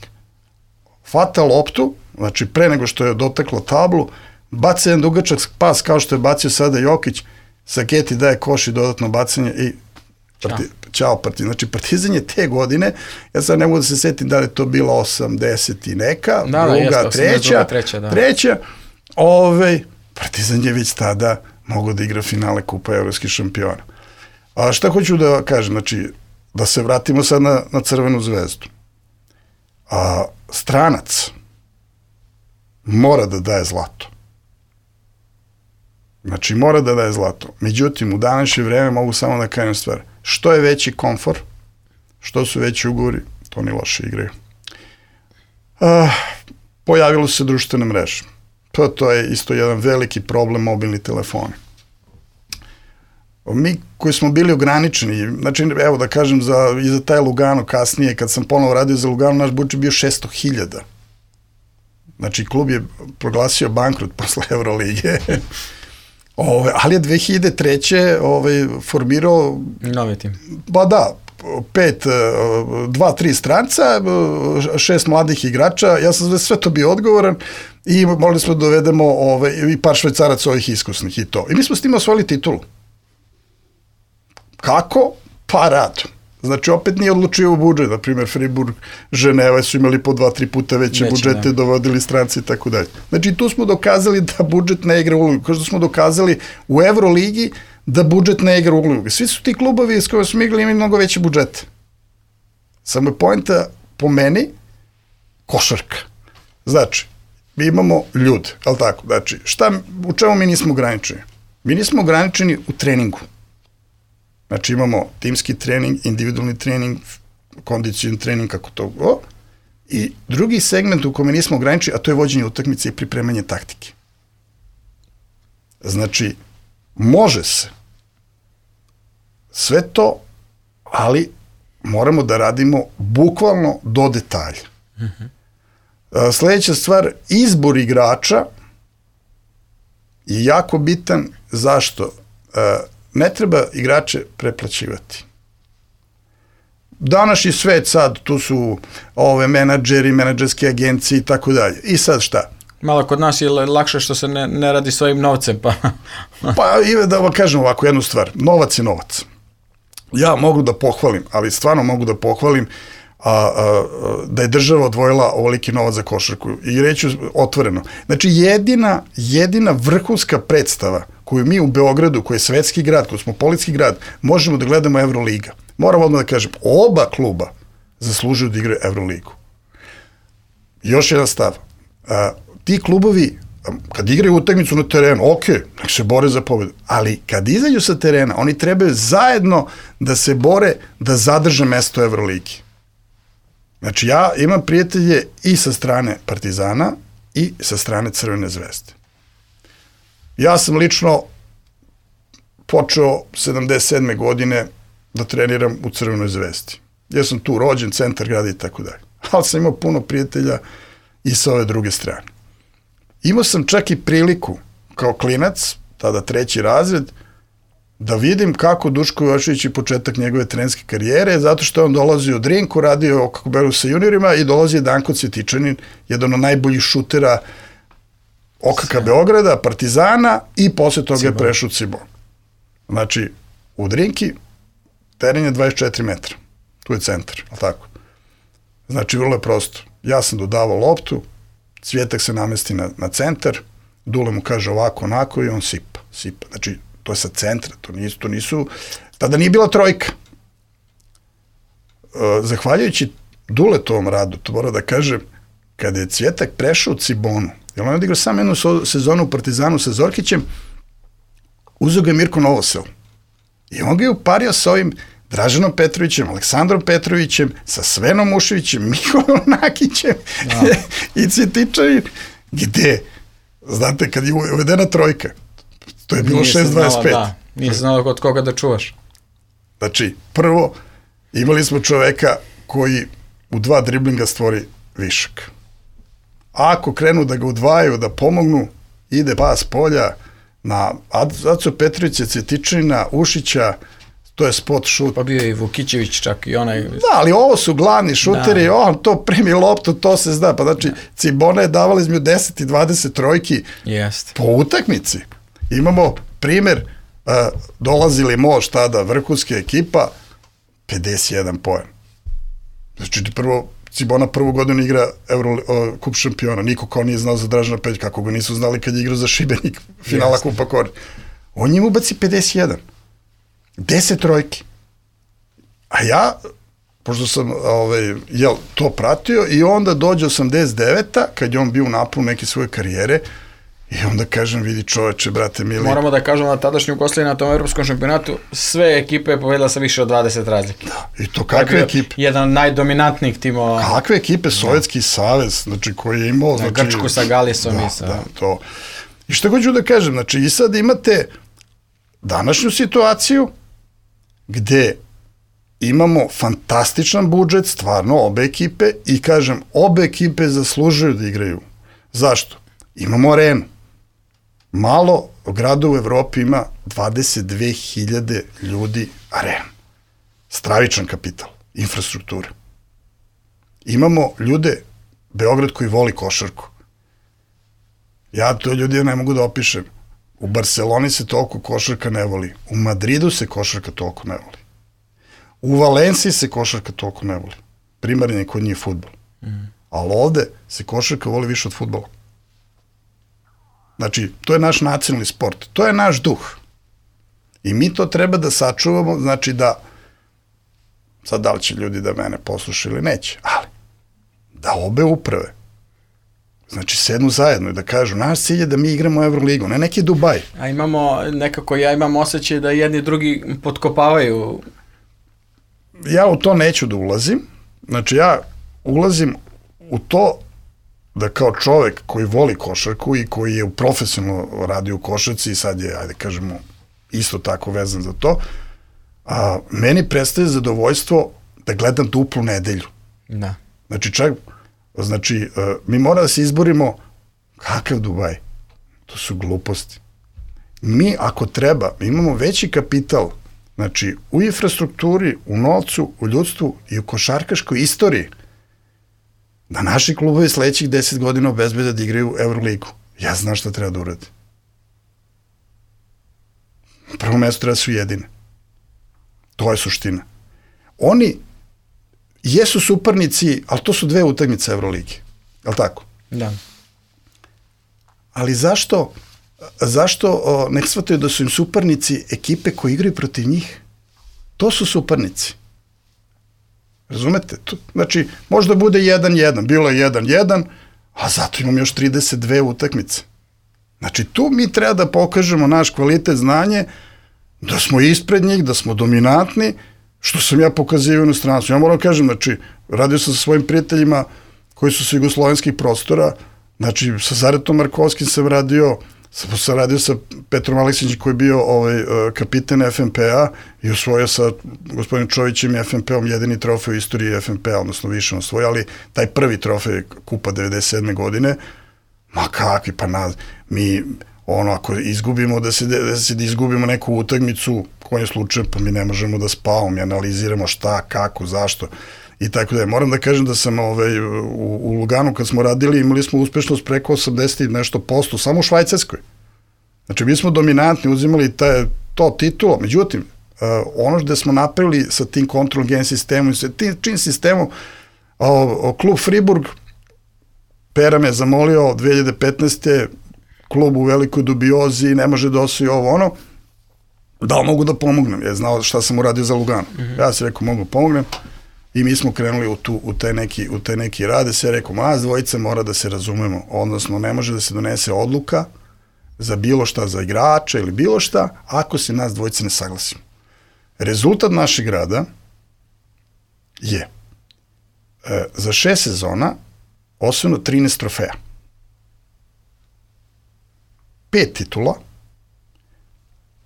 Hvata loptu, znači pre nego što je dotaklo tablu, baca jedan dugačak pas kao što je bacio sada Jokić, Saketi daje koš i dodatno bacanje i Ćao Partizan. Znači Partizan je te godine, ja sad ne mogu da se setim da li je to bilo 80 i neka, druga, treća, Partizan je već tada mogao da igra finale Kupa evropskih šampiona. A šta hoću da kažem, znači da se vratimo sad na Crvenu zvezdu. Stranac mora da daje zlato. Znači mora da daje zlato. Međutim, u današnje vreme mogu samo da kažem stvar. Što je veći komfor, što su veći ugovori, to ni loše igraju. Pojavilo se društvene mreže. To je isto jedan veliki problem, mobilni telefoni. Mi koji smo bili ograničeni, znači evo da kažem i za taj Lugano kasnije, kad sam ponovo radio za Lugano, naš budžet bio 600.000. Znači klub je proglasio bankrot posle Eurolige. Ali je 2003. Formirao novi tim. Ba da, 2-3 stranca, 6 mladih igrača, ja sam sve to bio odgovoran i mogli smo dovedemo i par švajcaraca ovih iskusnih i to. I mi smo s tim osvojili titulu. Kako? Pa radom. Znači, opet nije odlučio u budžet. Na primjer, Fribourg, Ženeva su imali po 2-3 puta veće budžete, dovodili stranci i tako dalje. Znači, tu smo dokazali da budžet ne igra ulogu. Kao što smo dokazali u Euroligi da budžet ne igra ulogu. Svi su ti klubovi s kojima smo igrali imali mnogo veće budžete. Samo je poenta po meni košarka. Znači, mi imamo ljude, ali tako? Znači, u čemu mi nismo ograničeni? Mi nismo ograničeni u treningu. Znači imamo timski trening, individualni trening, kondicijni trening, kako to go. I drugi segment u kome nismo ograničeni, a to je vođenje utakmice i pripremanje taktike. Znači, može se sve to, ali moramo da radimo bukvalno do detalja. Sledeća stvar, izbor igrača je jako bitan. Zašto? Ne treba igrače preplaćivati. Današnji svet sad, tu su menadžeri, menadžerske agencije i tako dalje. I sad šta? Malo kod nas je lakše što se ne radi svojim novcem, pa... Pa i da vam kažem ovako jednu stvar. Novac je novac. Ja mogu da pohvalim, ali stvarno mogu da pohvalim da je država odvojila ovoliki novac za košarku. I reću otvoreno. Znači, jedina vrhunska predstava koju mi u Beogradu, koji je svetski grad, kosmopolitski grad, možemo da gledamo Euroliga. Moram odmah da kažem, oba kluba zaslužuju da igraju Euroligu. Još jedan stav. Ti klubovi, kad igraju utakmicu na terenu, ok, nek se bore za pobedu, ali kad izađu sa terena, oni trebaju zajedno da se bore da zadrže mesto u Euroligi. Znači, ja imam prijatelje i sa strane Partizana i sa strane Crvene zvezde. Ja sam lično počeo 77. godine da treniram u Crvenoj zvezdi. Ja sam tu rođen, centar grada i tako dalje. Ali sam imao puno prijatelja i sa ove druge strane. Imao sam čak i priliku, kao klinac, tada 3. razred, da vidim kako Duško Jošević je početak njegove trenerske karijere, zato što je on dolazio u Drinku, radio kako beru sa juniorima i dolazio Danko Cvjetičanin, jedan od najboljih šutera OKK Beograda, Partizana i posle toga je prešao u Cibon. Znači, u Drinki teren je 24 metra. Tu je centar, ali tako? Znači, vrlo je prosto. Ja sam dodavao loptu, Cvjetak se namesti na centar, Dule mu kaže ovako, onako i on sipa. Znači, to je sa centra, to nisu... Tada nije bila trojka. Zahvaljujući Duletovom radu, to mora da kažem, kada je Cvjetak prešao u Cibonu, jer on je odigrao samo jednu sezonu u Partizanu sa Zorkićem, uzeo ga je Mirko Novosel. I on ga je upario sa ovim Draženom Petrovićem, Aleksandrom Petrovićem, sa Svenom Muševićem, Mikolom Nakićem i Cvjetičanin. Gde? Znate, kad je uvedena trojka, to je bilo 6.25. Nije se znalo kod koga da čuvaš. Znači, prvo, imali smo čoveka koji u 2 driblinga stvori višak. A ako krenu da ga udvajaju, da pomognu, ide pas polja na Acu Petrovića, Cvjetičanina, Ušića, to je spot šut. Pa bio je i Vukićević čak i onaj... Da, ali ovo su glavni šuteri, on to primi loptu, to se zna. Pa znači, Cibona je davala između 10 i 20 trojki po utakmici. Imamo primer, dolazili Mož tada, vrhunska ekipa, 51 poen. Znači, prvo, Cibona prvu godinu igra kup šampiona, niko kao nije znao za Dražana Peđa, kako ga nisu znali kad je igrao za Šibenik, finala Kupa Kori. On njim ubaci 51. 10 trojki. A ja, pošto sam to pratio, i onda dođe 89-a, kad je on bio u naponu neke svoje karijere, i onda kažem, vidi čoveče, brate mili. Moramo da kažemo na tadašnju Jugoslaviju na tom evropskom šampionatu sve ekipe je povedala sa više od 20 razlike. Da, i to kakve ekipe? Jedan od najdominantnijih timova. Kakve ekipe? Sovjetski savez, znači koji je imao... Znači, Grčku sa Galisom i sa... Da, to. I što hoću da kažem, znači i sad imate današnju situaciju gde imamo fantastičan budžet, stvarno, obe ekipe, i kažem, obe ekipe zaslužuju da igraju. Zašto? Imamo arenu. Malo grada u Evropi ima 22.000 ljudi arena. Stravičan kapital, infrastruktura. Imamo ljude, Beograd koji voli košarku. Ja to ljudi ne mogu da opišem. U Barceloni se toliko košarka ne voli. U Madridu se košarka toliko ne voli. U Valenciji se košarka toliko ne voli. Primarni je kod njih fudbal. Ali ovde se košarka voli više od fudbala. Znači, to je naš nacionalni sport. To je naš duh. I mi to treba da sačuvamo, znači da, sad da li će ljudi da mene poslušaju ili neće, ali da obe uprave, znači sednu zajedno i da kažu, naš cilj je da mi igramo Euroligu, ne neki Dubaj. A imamo, nekako ja imam osjećaj da jedni drugi potkopavaju. Ja u to neću da ulazim, znači ja ulazim u to da kao čovek koji voli košarku i koji je profesionalno radio u košarci i sad je, ajde kažemo, isto tako vezan za to, meni prestaje zadovoljstvo da gledam duplu nedelju. Da. Znači, mi moramo da se izborimo kakav Dubaj. To su gluposti. Mi, ako treba, imamo veći kapital, znači, u infrastrukturi, u novcu, u ljudstvu i u košarkaškoj istoriji, da naši klubovi sledećih 10 godina obezbede da igraju Euroligu. Ja znam šta treba da uradi. Prvo mesto treba su jedine. To je suština. Oni jesu suparnici, ali to su 2 utakmice Euroligi. Je li tako? Da. Ali zašto ne shvataju da su im suparnici ekipe koji igraju protiv njih? To su suparnici. Razumete? Znači, možda bude 1-1, bilo je 1-1, a zato imamo još 32 utakmice. Znači, tu mi treba da pokažemo naš kvalitet, znanje, da smo ispred njih, da smo dominantni, što sam ja pokazivao u inostranstvu. Ja moram kažem, znači, radio sam sa svojim prijateljima koji su sa jugoslovenskih prostora, znači, sa Zaretom Markovskim sam radio sa Petrom Aleksićem koji je bio kapiten FNP-a i osvojio sa gospodinom Čovićem i FNP-om jedini trofej u istoriji FNP-a, odnosno više on osvojio, ali taj prvi trofej Kupa 97. godine, ma kakvi, pa mi, ako izgubimo, da izgubimo neku utakmicu, kojim slučajem, pa mi ne možemo da spavamo, mi analiziramo šta, kako, zašto, i tako da je. Moram da kažem da sam u Luganu kad smo radili, imali smo uspešnost preko 80 i nešto posto, samo u Švajcarskoj. Znači, mi smo dominantni, uzimali to titulo, međutim, ono što smo napravili sa tim control game sistemom i sa čim sistemom, klub Friburg, Pera me zamolio 2015. klub u velikoj dubiozi, ne može da osvoji ovo, da li mogu da pomognem, je znao šta sam uradio za Luganu. Ja sam rekao, mogu pomognem. I mi smo krenuli u taj neki rade, se rekao, nas dvojice mora da se razumemo, odnosno ne može da se donese odluka za bilo šta, za igrača ili bilo šta, ako se nas dvojice ne saglasimo. Rezultat našeg rada je za 6 sezona osvojeno 13 trofeja. 5 titula,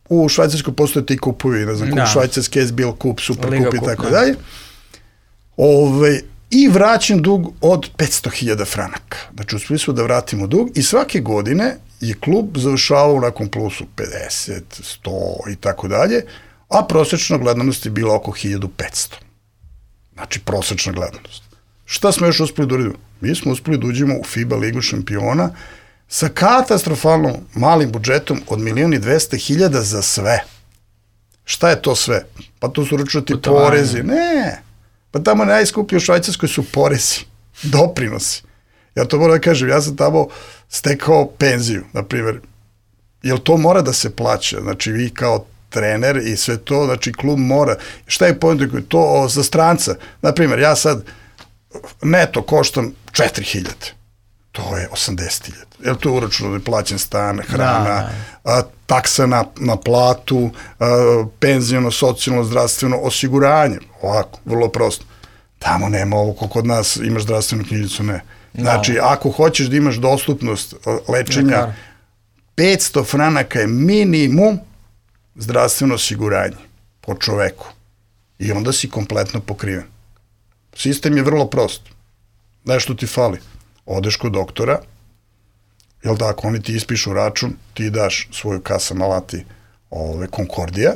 u Švajcarskoj postoje ti kupovi, ne znam, kup švajcarski, SBL kup, super kup i tako dalje. I vraćen dug od 500.000 franaka. Znači, uspeli smo da vratimo dug i svake godine je klub završavao u nekom plusu 50, 100 i tako dalje, a prosječna gledanost je bila oko 1500. Znači, prosječna gledanost. Šta smo još uspeli da uradimo? Mi smo uspeli da uđemo u FIBA ligu šampiona sa katastrofalno malim budžetom od 1.200.000 za sve. Šta je to sve? Pa to su računati porezi. Ne, pa tamo najskuplji u Švajcarskoj su porezi, doprinosi. Ja to moram da kažem, ja sam tamo stekao penziju, na primjer. Jel to mora da se plaća? Znači, vi kao trener i sve to, znači klub mora. Šta je point? To za stranca. Na primjer, ja sad neto koštam 4.000. To je 80.000. Jel to je uračuno da je plaćen stan, hrana, taksa na platu, penziono, socijalno, zdravstveno osiguranje. Ovako, vrlo prosto. Tamo nema ovo ko kod nas, imaš zdravstvenu knjižicu, ne. Znači, ako hoćeš da imaš dostupnost lečenja, 500 franaka je minimum zdravstveno osiguranje po čoveku. I onda si kompletno pokriven. Sistem je vrlo prost. Nešto ti fali. Odeš kod doktora, jel tako, oni ti ispišu račun, ti daš svoju kasa malati Konkordija,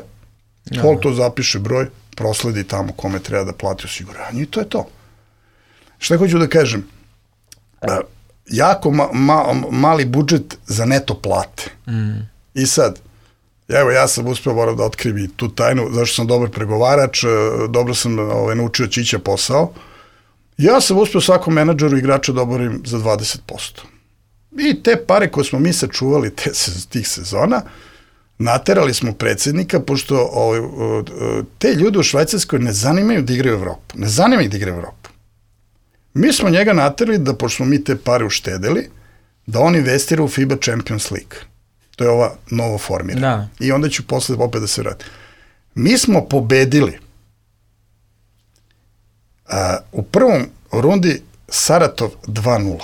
to zapiše broj, prosledi tamo kome treba da plati osiguranje i to je to. Šta hoću da kažem? Jako mali budžet za neto plate. I sad, evo ja sam uspeo, moram da otkrijem i tu tajnu, zašto sam dobar pregovarač, dobro sam naučio čića posao. Ja sam uspeo svakom menadžeru igrača da oborim za 20%. I te pare koje smo mi sačuvali tih sezona, naterali smo predsjednika, pošto te ljude u Švajcarskoj ne zanimaju da igraju Evropu. Ne zanima ih da igraju Evropu. Mi smo njega naterali da, pošto smo mi te pare uštedeli, da on investira u FIBA Champions League. To je ova novo formirana. I onda ću posle opet da se vratim. Mi smo pobedili u prvom rundi Saratov 2-0.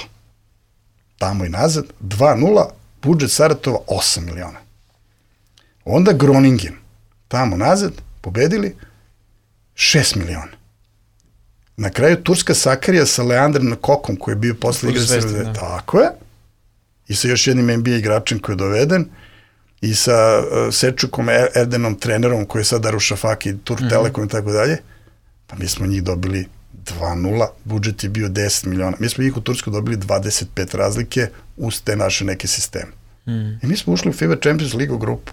Tamo i nazad, 2-0, budžet Saratova 8 miliona. Onda Groningen, tamo nazad, pobedili 6 miliona. Na kraju Turska Sakarija sa Leandrom Kokom, koji je bio posle igre Srbije. Tako je. I sa još jednim NBA igračem koji je doveden. I sa Sečukom Erdenom, trenerom, koji je sad Darušafaki, Turk Telekom i tako dalje. Pa mi smo njih dobili 2-0, budžet je bio 10 miliona. Mi smo njih u Tursku dobili 25 razlike uz te naše neke sisteme. I mi smo ušli u FIBA Champions League grupu.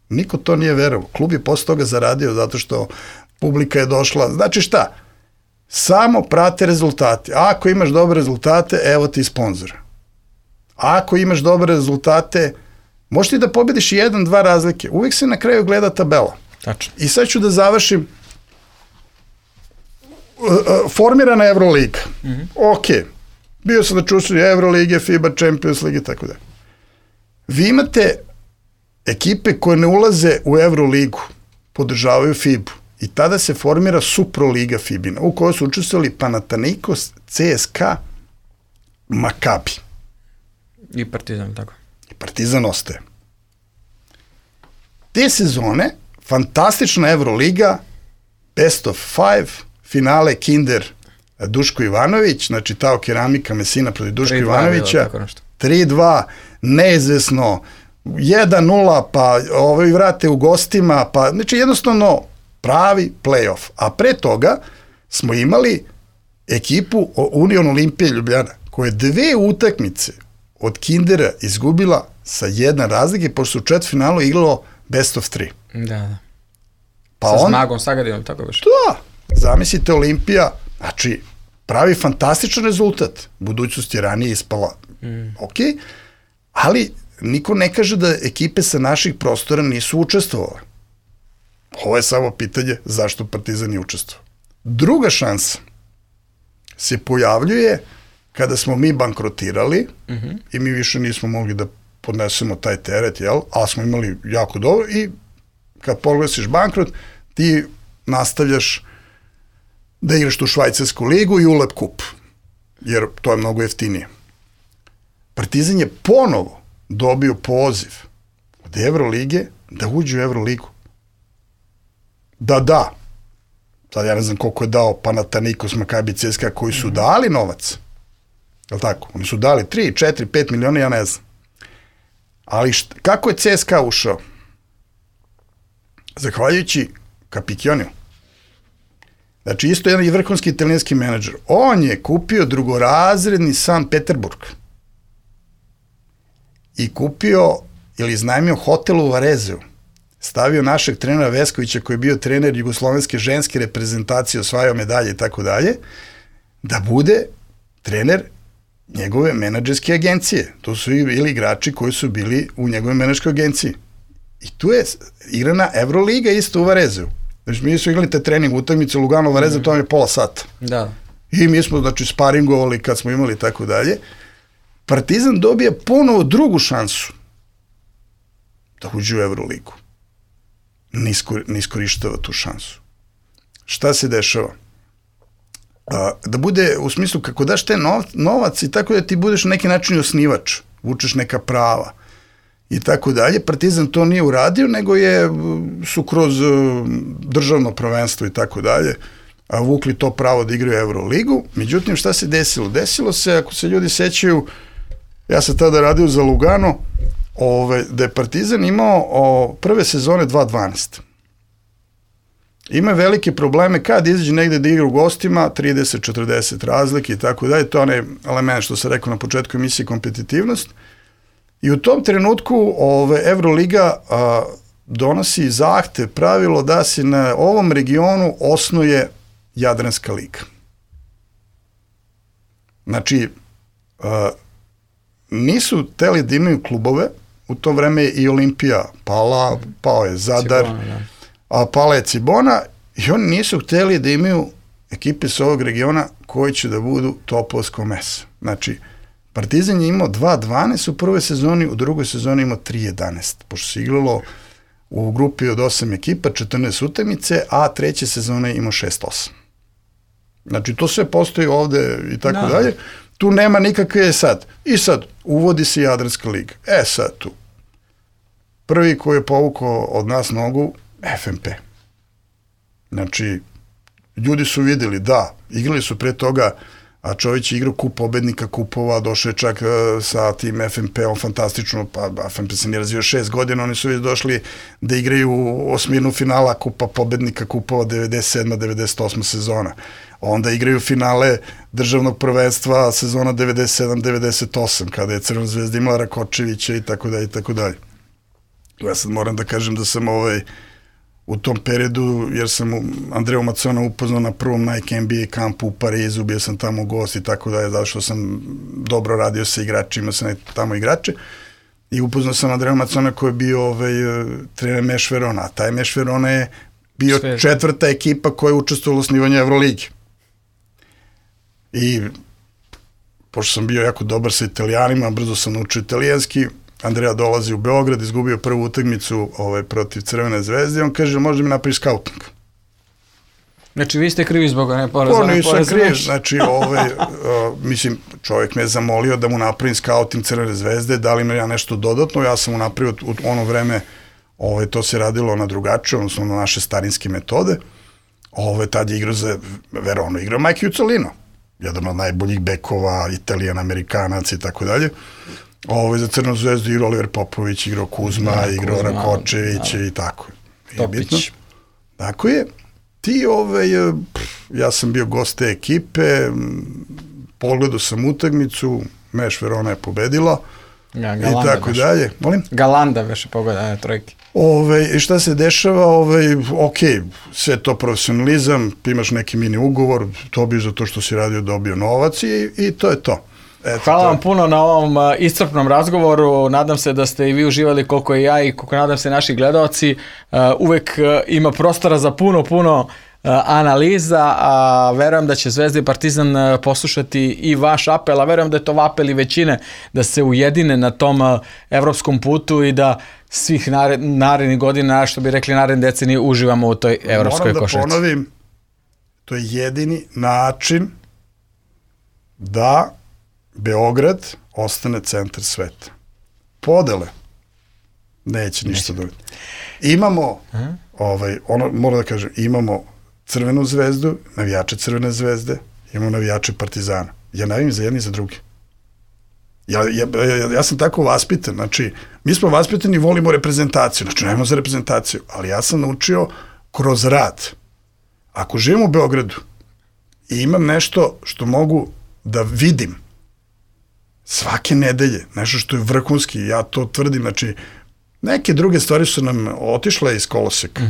Niko to nije verovao. Klub je posle toga zaradio zato što publika je došla. Znači šta? Samo prate rezultate. Ako imaš dobre rezultate, evo ti sponzora. Ako imaš dobre rezultate, možeš ti da pobediš 1-2 razlike. Uvijek se na kraju gleda tabela. Tačno. I sad ću da završim. Formirana Euroliga. Ok. Bio sam da čušli Eurolige, FIBA Champions League i tako da. Vi imate ekipe koje ne ulaze u Euroligu, podržavaju FIBU. I tada se formira Suproliga FIBina, u kojoj su učestvovali Panathinaikos, CSKA, Makabi. I Partizan, tako. I Partizan ostaje. Te sezone, fantastična Euroliga, best of 5, finale Kinder Duško Ivanović, znači Tao Keramika Mesina protiv Duško Ivanovića, 3-2, neizvesno, 1-0, pa vrate u gostima, pa znači jednostavno pravi play-off. A pre toga smo imali ekipu Union Olimpije Ljubljana, koja je 2 utakmice od Kindera izgubila sa 1 razlike, pošto su u četvrtfinalu igralo best of 3. Da. Pa sa Smagom, Sagadinom, tako više. Da, zamislite Olimpija, znači pravi fantastičan rezultat. Budućnost je ranije ispala. Ok, ali niko ne kaže da ekipe sa naših prostora nisu učestvovale. Ovo je samo pitanje zašto Partizan nije učestvovao. Druga šansa se pojavljuje kada smo mi bankrotirali i mi više nismo mogli da podnesemo taj teret, ali smo imali jako dobro i kad poglasiš bankrot, ti nastavljaš da igraš tu švajcarsku ligu i ULEP kup, jer to je mnogo jeftinije. Partizan je ponovo dobio poziv od Evrolige da uđu u Euroligu. Da. Sad ja ne znam koliko je dao Panathinaikos, Maccabi, CSKA koji su dali novac. Je li tako? Oni su dali 3, 4, 5 miliona, ja ne znam. Ali kako je CSKA ušao? Zahvaljujući Capicchioniju. Znači, isto jedan vrhunski italijanski menadžer. On je kupio drugorazredni San Peterburg. I kupio ili iznajmio hotel u Varezeu. Stavio našeg trenera Veskovića, koji je bio trener jugoslovenske ženske reprezentacije, osvajao medalje i tako dalje, da bude trener njegove menadžerske agencije. To su ili igrači koji su bili u njegove menadžerskoj agenciji. I tu je igrana Euroliga isto u Varezeu. Znači, mi su igrali te trening utakmice Lugano Vareze, to vam je pola sata. Da. I mi smo, znači, sparingovali kad smo imali tako dalje. Partizan dobija ponovo drugu šansu da uđe u Euroligu. Ne iskorištava tu šansu. Šta se dešava? Da bude, u smislu, kako daš te novac i tako da ti budeš na neki način osnivač, vučeš neka prava i tako dalje. Partizan to nije uradio, nego su kroz državno prvenstvo i tako dalje vukli to pravo da igraju Euroligu. Međutim, šta se desilo? Desilo se, ako se ljudi sećaju, ja sam tada radio za Lugano, da je Partizan imao prve sezone 2-12. Ima velike probleme kad izađe negde da igra u gostima, 30-40 razlike i tako dalje. To je onaj element što sam rekao na početku emisije, kompetitivnost. I u tom trenutku Euroliga donosi zahtev, pravilo da se na ovom regionu osnuje Jadranska liga. Znači, nisu teli da imaju klubove, u to vreme je i Olimpija pala, pao je Zadar, a pala je Cibona, i oni nisu hteli da imaju ekipe s ovog regiona koji će da budu topovsko meso. Znači, Partizan je imao 2-12 u prvoj sezoni, u drugoj sezoni imao 3-11, pošto se igralo u grupi od 8 ekipa, 14 utakmice, a treće sezone imao 6-8. Znači, to sve postoji ovde i tako dalje. Tu nema nikakve sad. I sad, uvodi se Jadranska liga. Sad tu. Prvi koji je povukao od nas nogu, FNP. Znači, ljudi su videli, da, igrali su pre toga, a čovjek je igrao kup pobednika kupova, došao je čak sa tim FNP-om fantastično, pa FNP se nije razvio 6 godina, oni su već došli da igraju osminu finala kupa pobednika kupova 97. 98. sezona. Onda igraju finale državnog prvenstva sezona 97-98, kada je Crvena zvezda imala Rakočevića i tako dalje i tako dalje. Ja sad moram da kažem da sam u tom periodu, jer sam Andreju Macona upoznao na prvom Nike NBA kampu u Parizu, bio sam tamo gost i tako dalje, zato što sam dobro radio sa igračima, imao sam tamo igrače, i upoznao sam Andreju Macona koji je bio trener Meš Verona, a taj Meš Verona je bio četvrta ekipa koja je učestvovala u osnivanju Euroligi. I pošto sam bio jako dobar sa Italijanima, brzo sam naučio italijanski, Andreja dolazi u Beograd, izgubio prvu utakmicu protiv Crvene zvezde i on kaže, možda mi napravi skauting. Znači, vi ste krivi zbog ne poreza? Nisam kriv, znači, mislim, čovjek me je zamolio da mu napravim skauting Crvene zvezde, da li me ja nešto dodatno, ja sam mu napravio u ono vreme, to se radilo na drugačije, odnosno na naše starinske metode, tad je igrao za Veronu, igrao Mike Jucolino, jedan od najboljih bekova, Italijan, Amerikanac i tako dalje. Za Crvenu zvezdu igrao Oliver Popović, igrao Kuzma, igrao Rakočević i tako. Topić. Tako je. Ja sam bio gost te ekipe, pogledao sam utakmicu, Meš Verona je pobedila i tako dalje. Molim? Galanda veše pogleda, trojke. I šta se dešava? Ok, sve to profesionalizam, imaš neki mini ugovor, dobiješ za to što si radio, dobio novac i to je to. Hvala vam puno na ovom iscrpnom razgovoru, nadam se da ste i vi uživali koliko i ja i koliko nadam se naši gledaoci. Uvek ima prostora za puno analiza, a verujem da će Zvezda i Partizan poslušati i vaš apel, a verujem da je to apel i većine da se ujedine na tom evropskom putu i da svih narednih godina, što bi rekli naredne decenije, uživamo u toj evropskoj košarci. Moram da ponovim, to je jedini način da Beograd ostane centar sveta. Podele Neće ništa dobiti. Imamo, moram da kažem, imamo Crvenu zvezdu, navijače Crvene zvezde, imamo navijače Partizana. Ja navijam za jedni i za drugi. Ja sam tako vaspitan, znači, mi smo vaspitani i volimo reprezentaciju, znači, nemamo za reprezentaciju, ali ja sam naučio kroz rad. Ako živim u Beogradu i imam nešto što mogu da vidim svake nedelje, nešto što je vrhunski, ja to tvrdim, znači, neke druge stvari su nam otišle iz koloseka.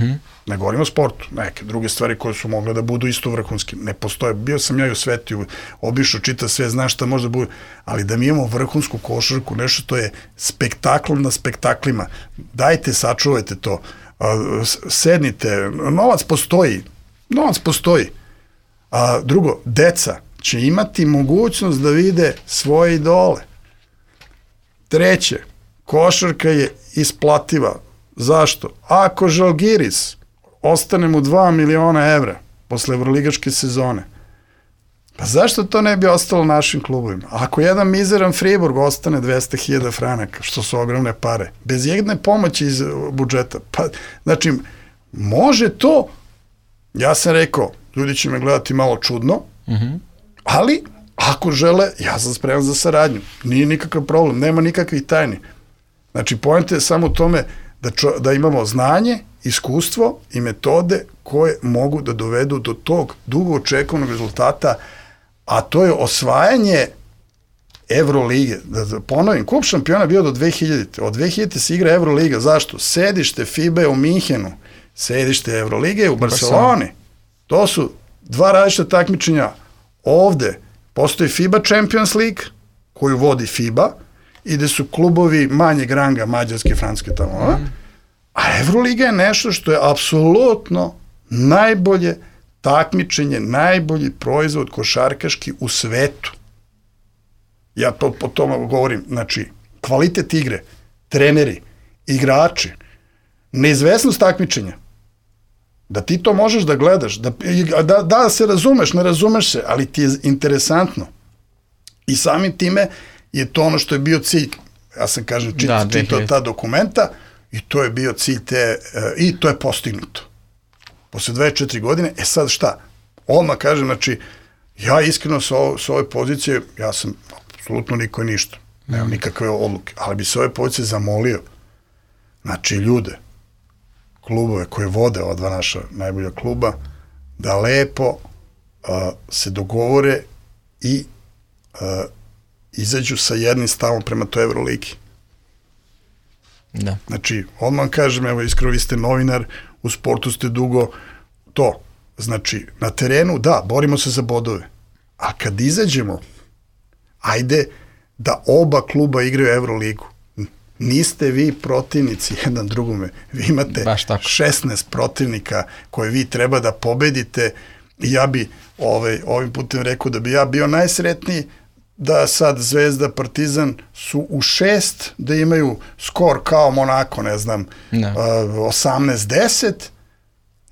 Ne govorimo o sportu. Neke druge stvari koje su mogle da budu isto vrhunski. Ne postoje. Bio sam ja i u svetu, obišao, čita sve, znaš šta može da bude. Ali da mi imamo vrhunsku košarku, nešto što je spektakl na spektaklima. Dajte, sačuvajte to. Sednite. Novac postoji. Novac postoji. Drugo, deca će imati mogućnost da vide svoje idole. Treće, košarka je isplativa. Zašto? Ako Žalgiris ostane mu 2 miliona evra posle evroligaške sezone, pa zašto to ne bi ostalo našim klubovima? Ako jedan mizeran Friburg ostane 200.000 franaka, što su ogromne pare, bez jedne pomoći iz budžeta, pa, znači, može to, ja sam rekao, ljudi će me gledati malo čudno, ali ako žele, ja sam spreman za saradnju. Nije nikakav problem, nema nikakvih tajni. Znači, poenta je samo u tome da imamo znanje, iskustvo i metode koje mogu da dovedu do tog dugo očekovanog rezultata, a to je osvajanje Evrolige. Da ponovim, Kup šampiona bio do 2000. Od 2000. se igra Evroliga. Zašto? Sedište FIBA je u Minhenu, sedište Evrolige je u Barceloni. To su dva različita takmičenja. Ovde postoji FIBA Champions League, koju vodi FIBA, i gde su klubovi manjeg ranga, mađarske, francuske tamo. A Evroliga je nešto što je apsolutno najbolje takmičenje, najbolji proizvod košarkaški u svetu. Ja to po tome govorim, znači, kvalitet igre, treneri, igrači, neizvesnost takmičenja, da ti to možeš da gledaš, da se razumeš, ne razumeš se, ali ti je interesantno. I samim time je to ono što je bio cilj, ja sam kažem, čitao ta dokumenta, i to je bio cilj i to je postignuto. Posle 24 godine, sad šta? Odmah kažem, znači, ja iskreno sa ove pozicije, ja sam apsolutno niko i ništa, nemam nikakve odluke, ali bi se ove pozicije zamolio, znači, ljude, klubove koje vode ova dva naša najbolja kluba, da lepo se dogovore i izađu sa jednim stavom prema toj Evroligi. Da. Znači, odmah kažem, evo, iskreno, vi ste novinar, u sportu ste dugo, to, znači, na terenu, da, borimo se za bodove, a kad izađemo, ajde da oba kluba igraju Evroligu. Niste vi protivnici jedan drugome, vi imate 16 protivnika koje vi treba da pobedite, i ja bi ovim putem rekao da bi ja bio najsretniji da sad Zvezda, Partizan su u 6, da imaju skor kao Monako, ne znam, 18-10,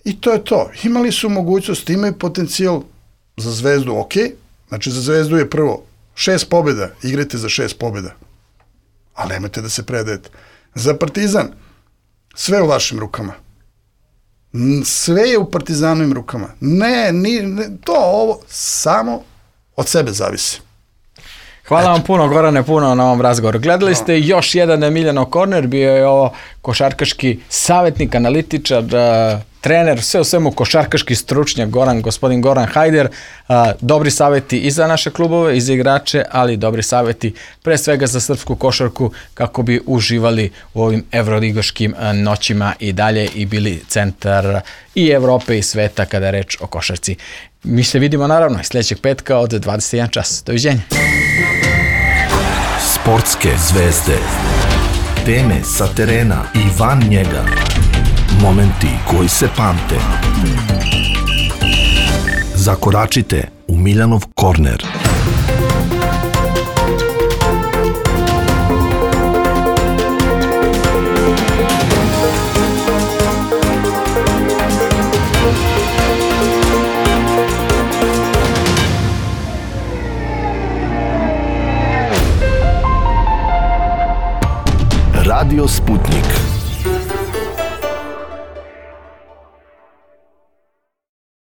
i to je to. Imali su mogućnost, imaju potencijal za Zvezdu, ok, znači za Zvezdu je prvo 6 pobjeda, igrajte za 6 pobjeda, ali nemojte da se predajete. Za Partizan, sve u vašim rukama. Sve je u Partizanovim rukama. Ovo samo od sebe zavisi. Hvala vam puno, Gorane, puno na ovom razgovoru. Gledali ste još jedan Emilijanov korner, bio je ovo košarkaški savjetnik, analitičar, trener, sve u svemu košarkaški stručnjak, gospodin Goran Hajder. Dobri savjeti i za naše klubove, i za igrače, ali dobri savjeti pre svega za srpsku košarku, kako bi uživali u ovim evroligaškim noćima i dalje i bili centar i Evrope i sveta kada je reč o košarci. Mi se vidimo naravno i sljedećeg petka od 21 čas. Doviđenja. Sportske zvezde. Teme sa terena i van njega. Momenti koji se pamte. Zakoračite u Miljanov korner. Radio Sputnik.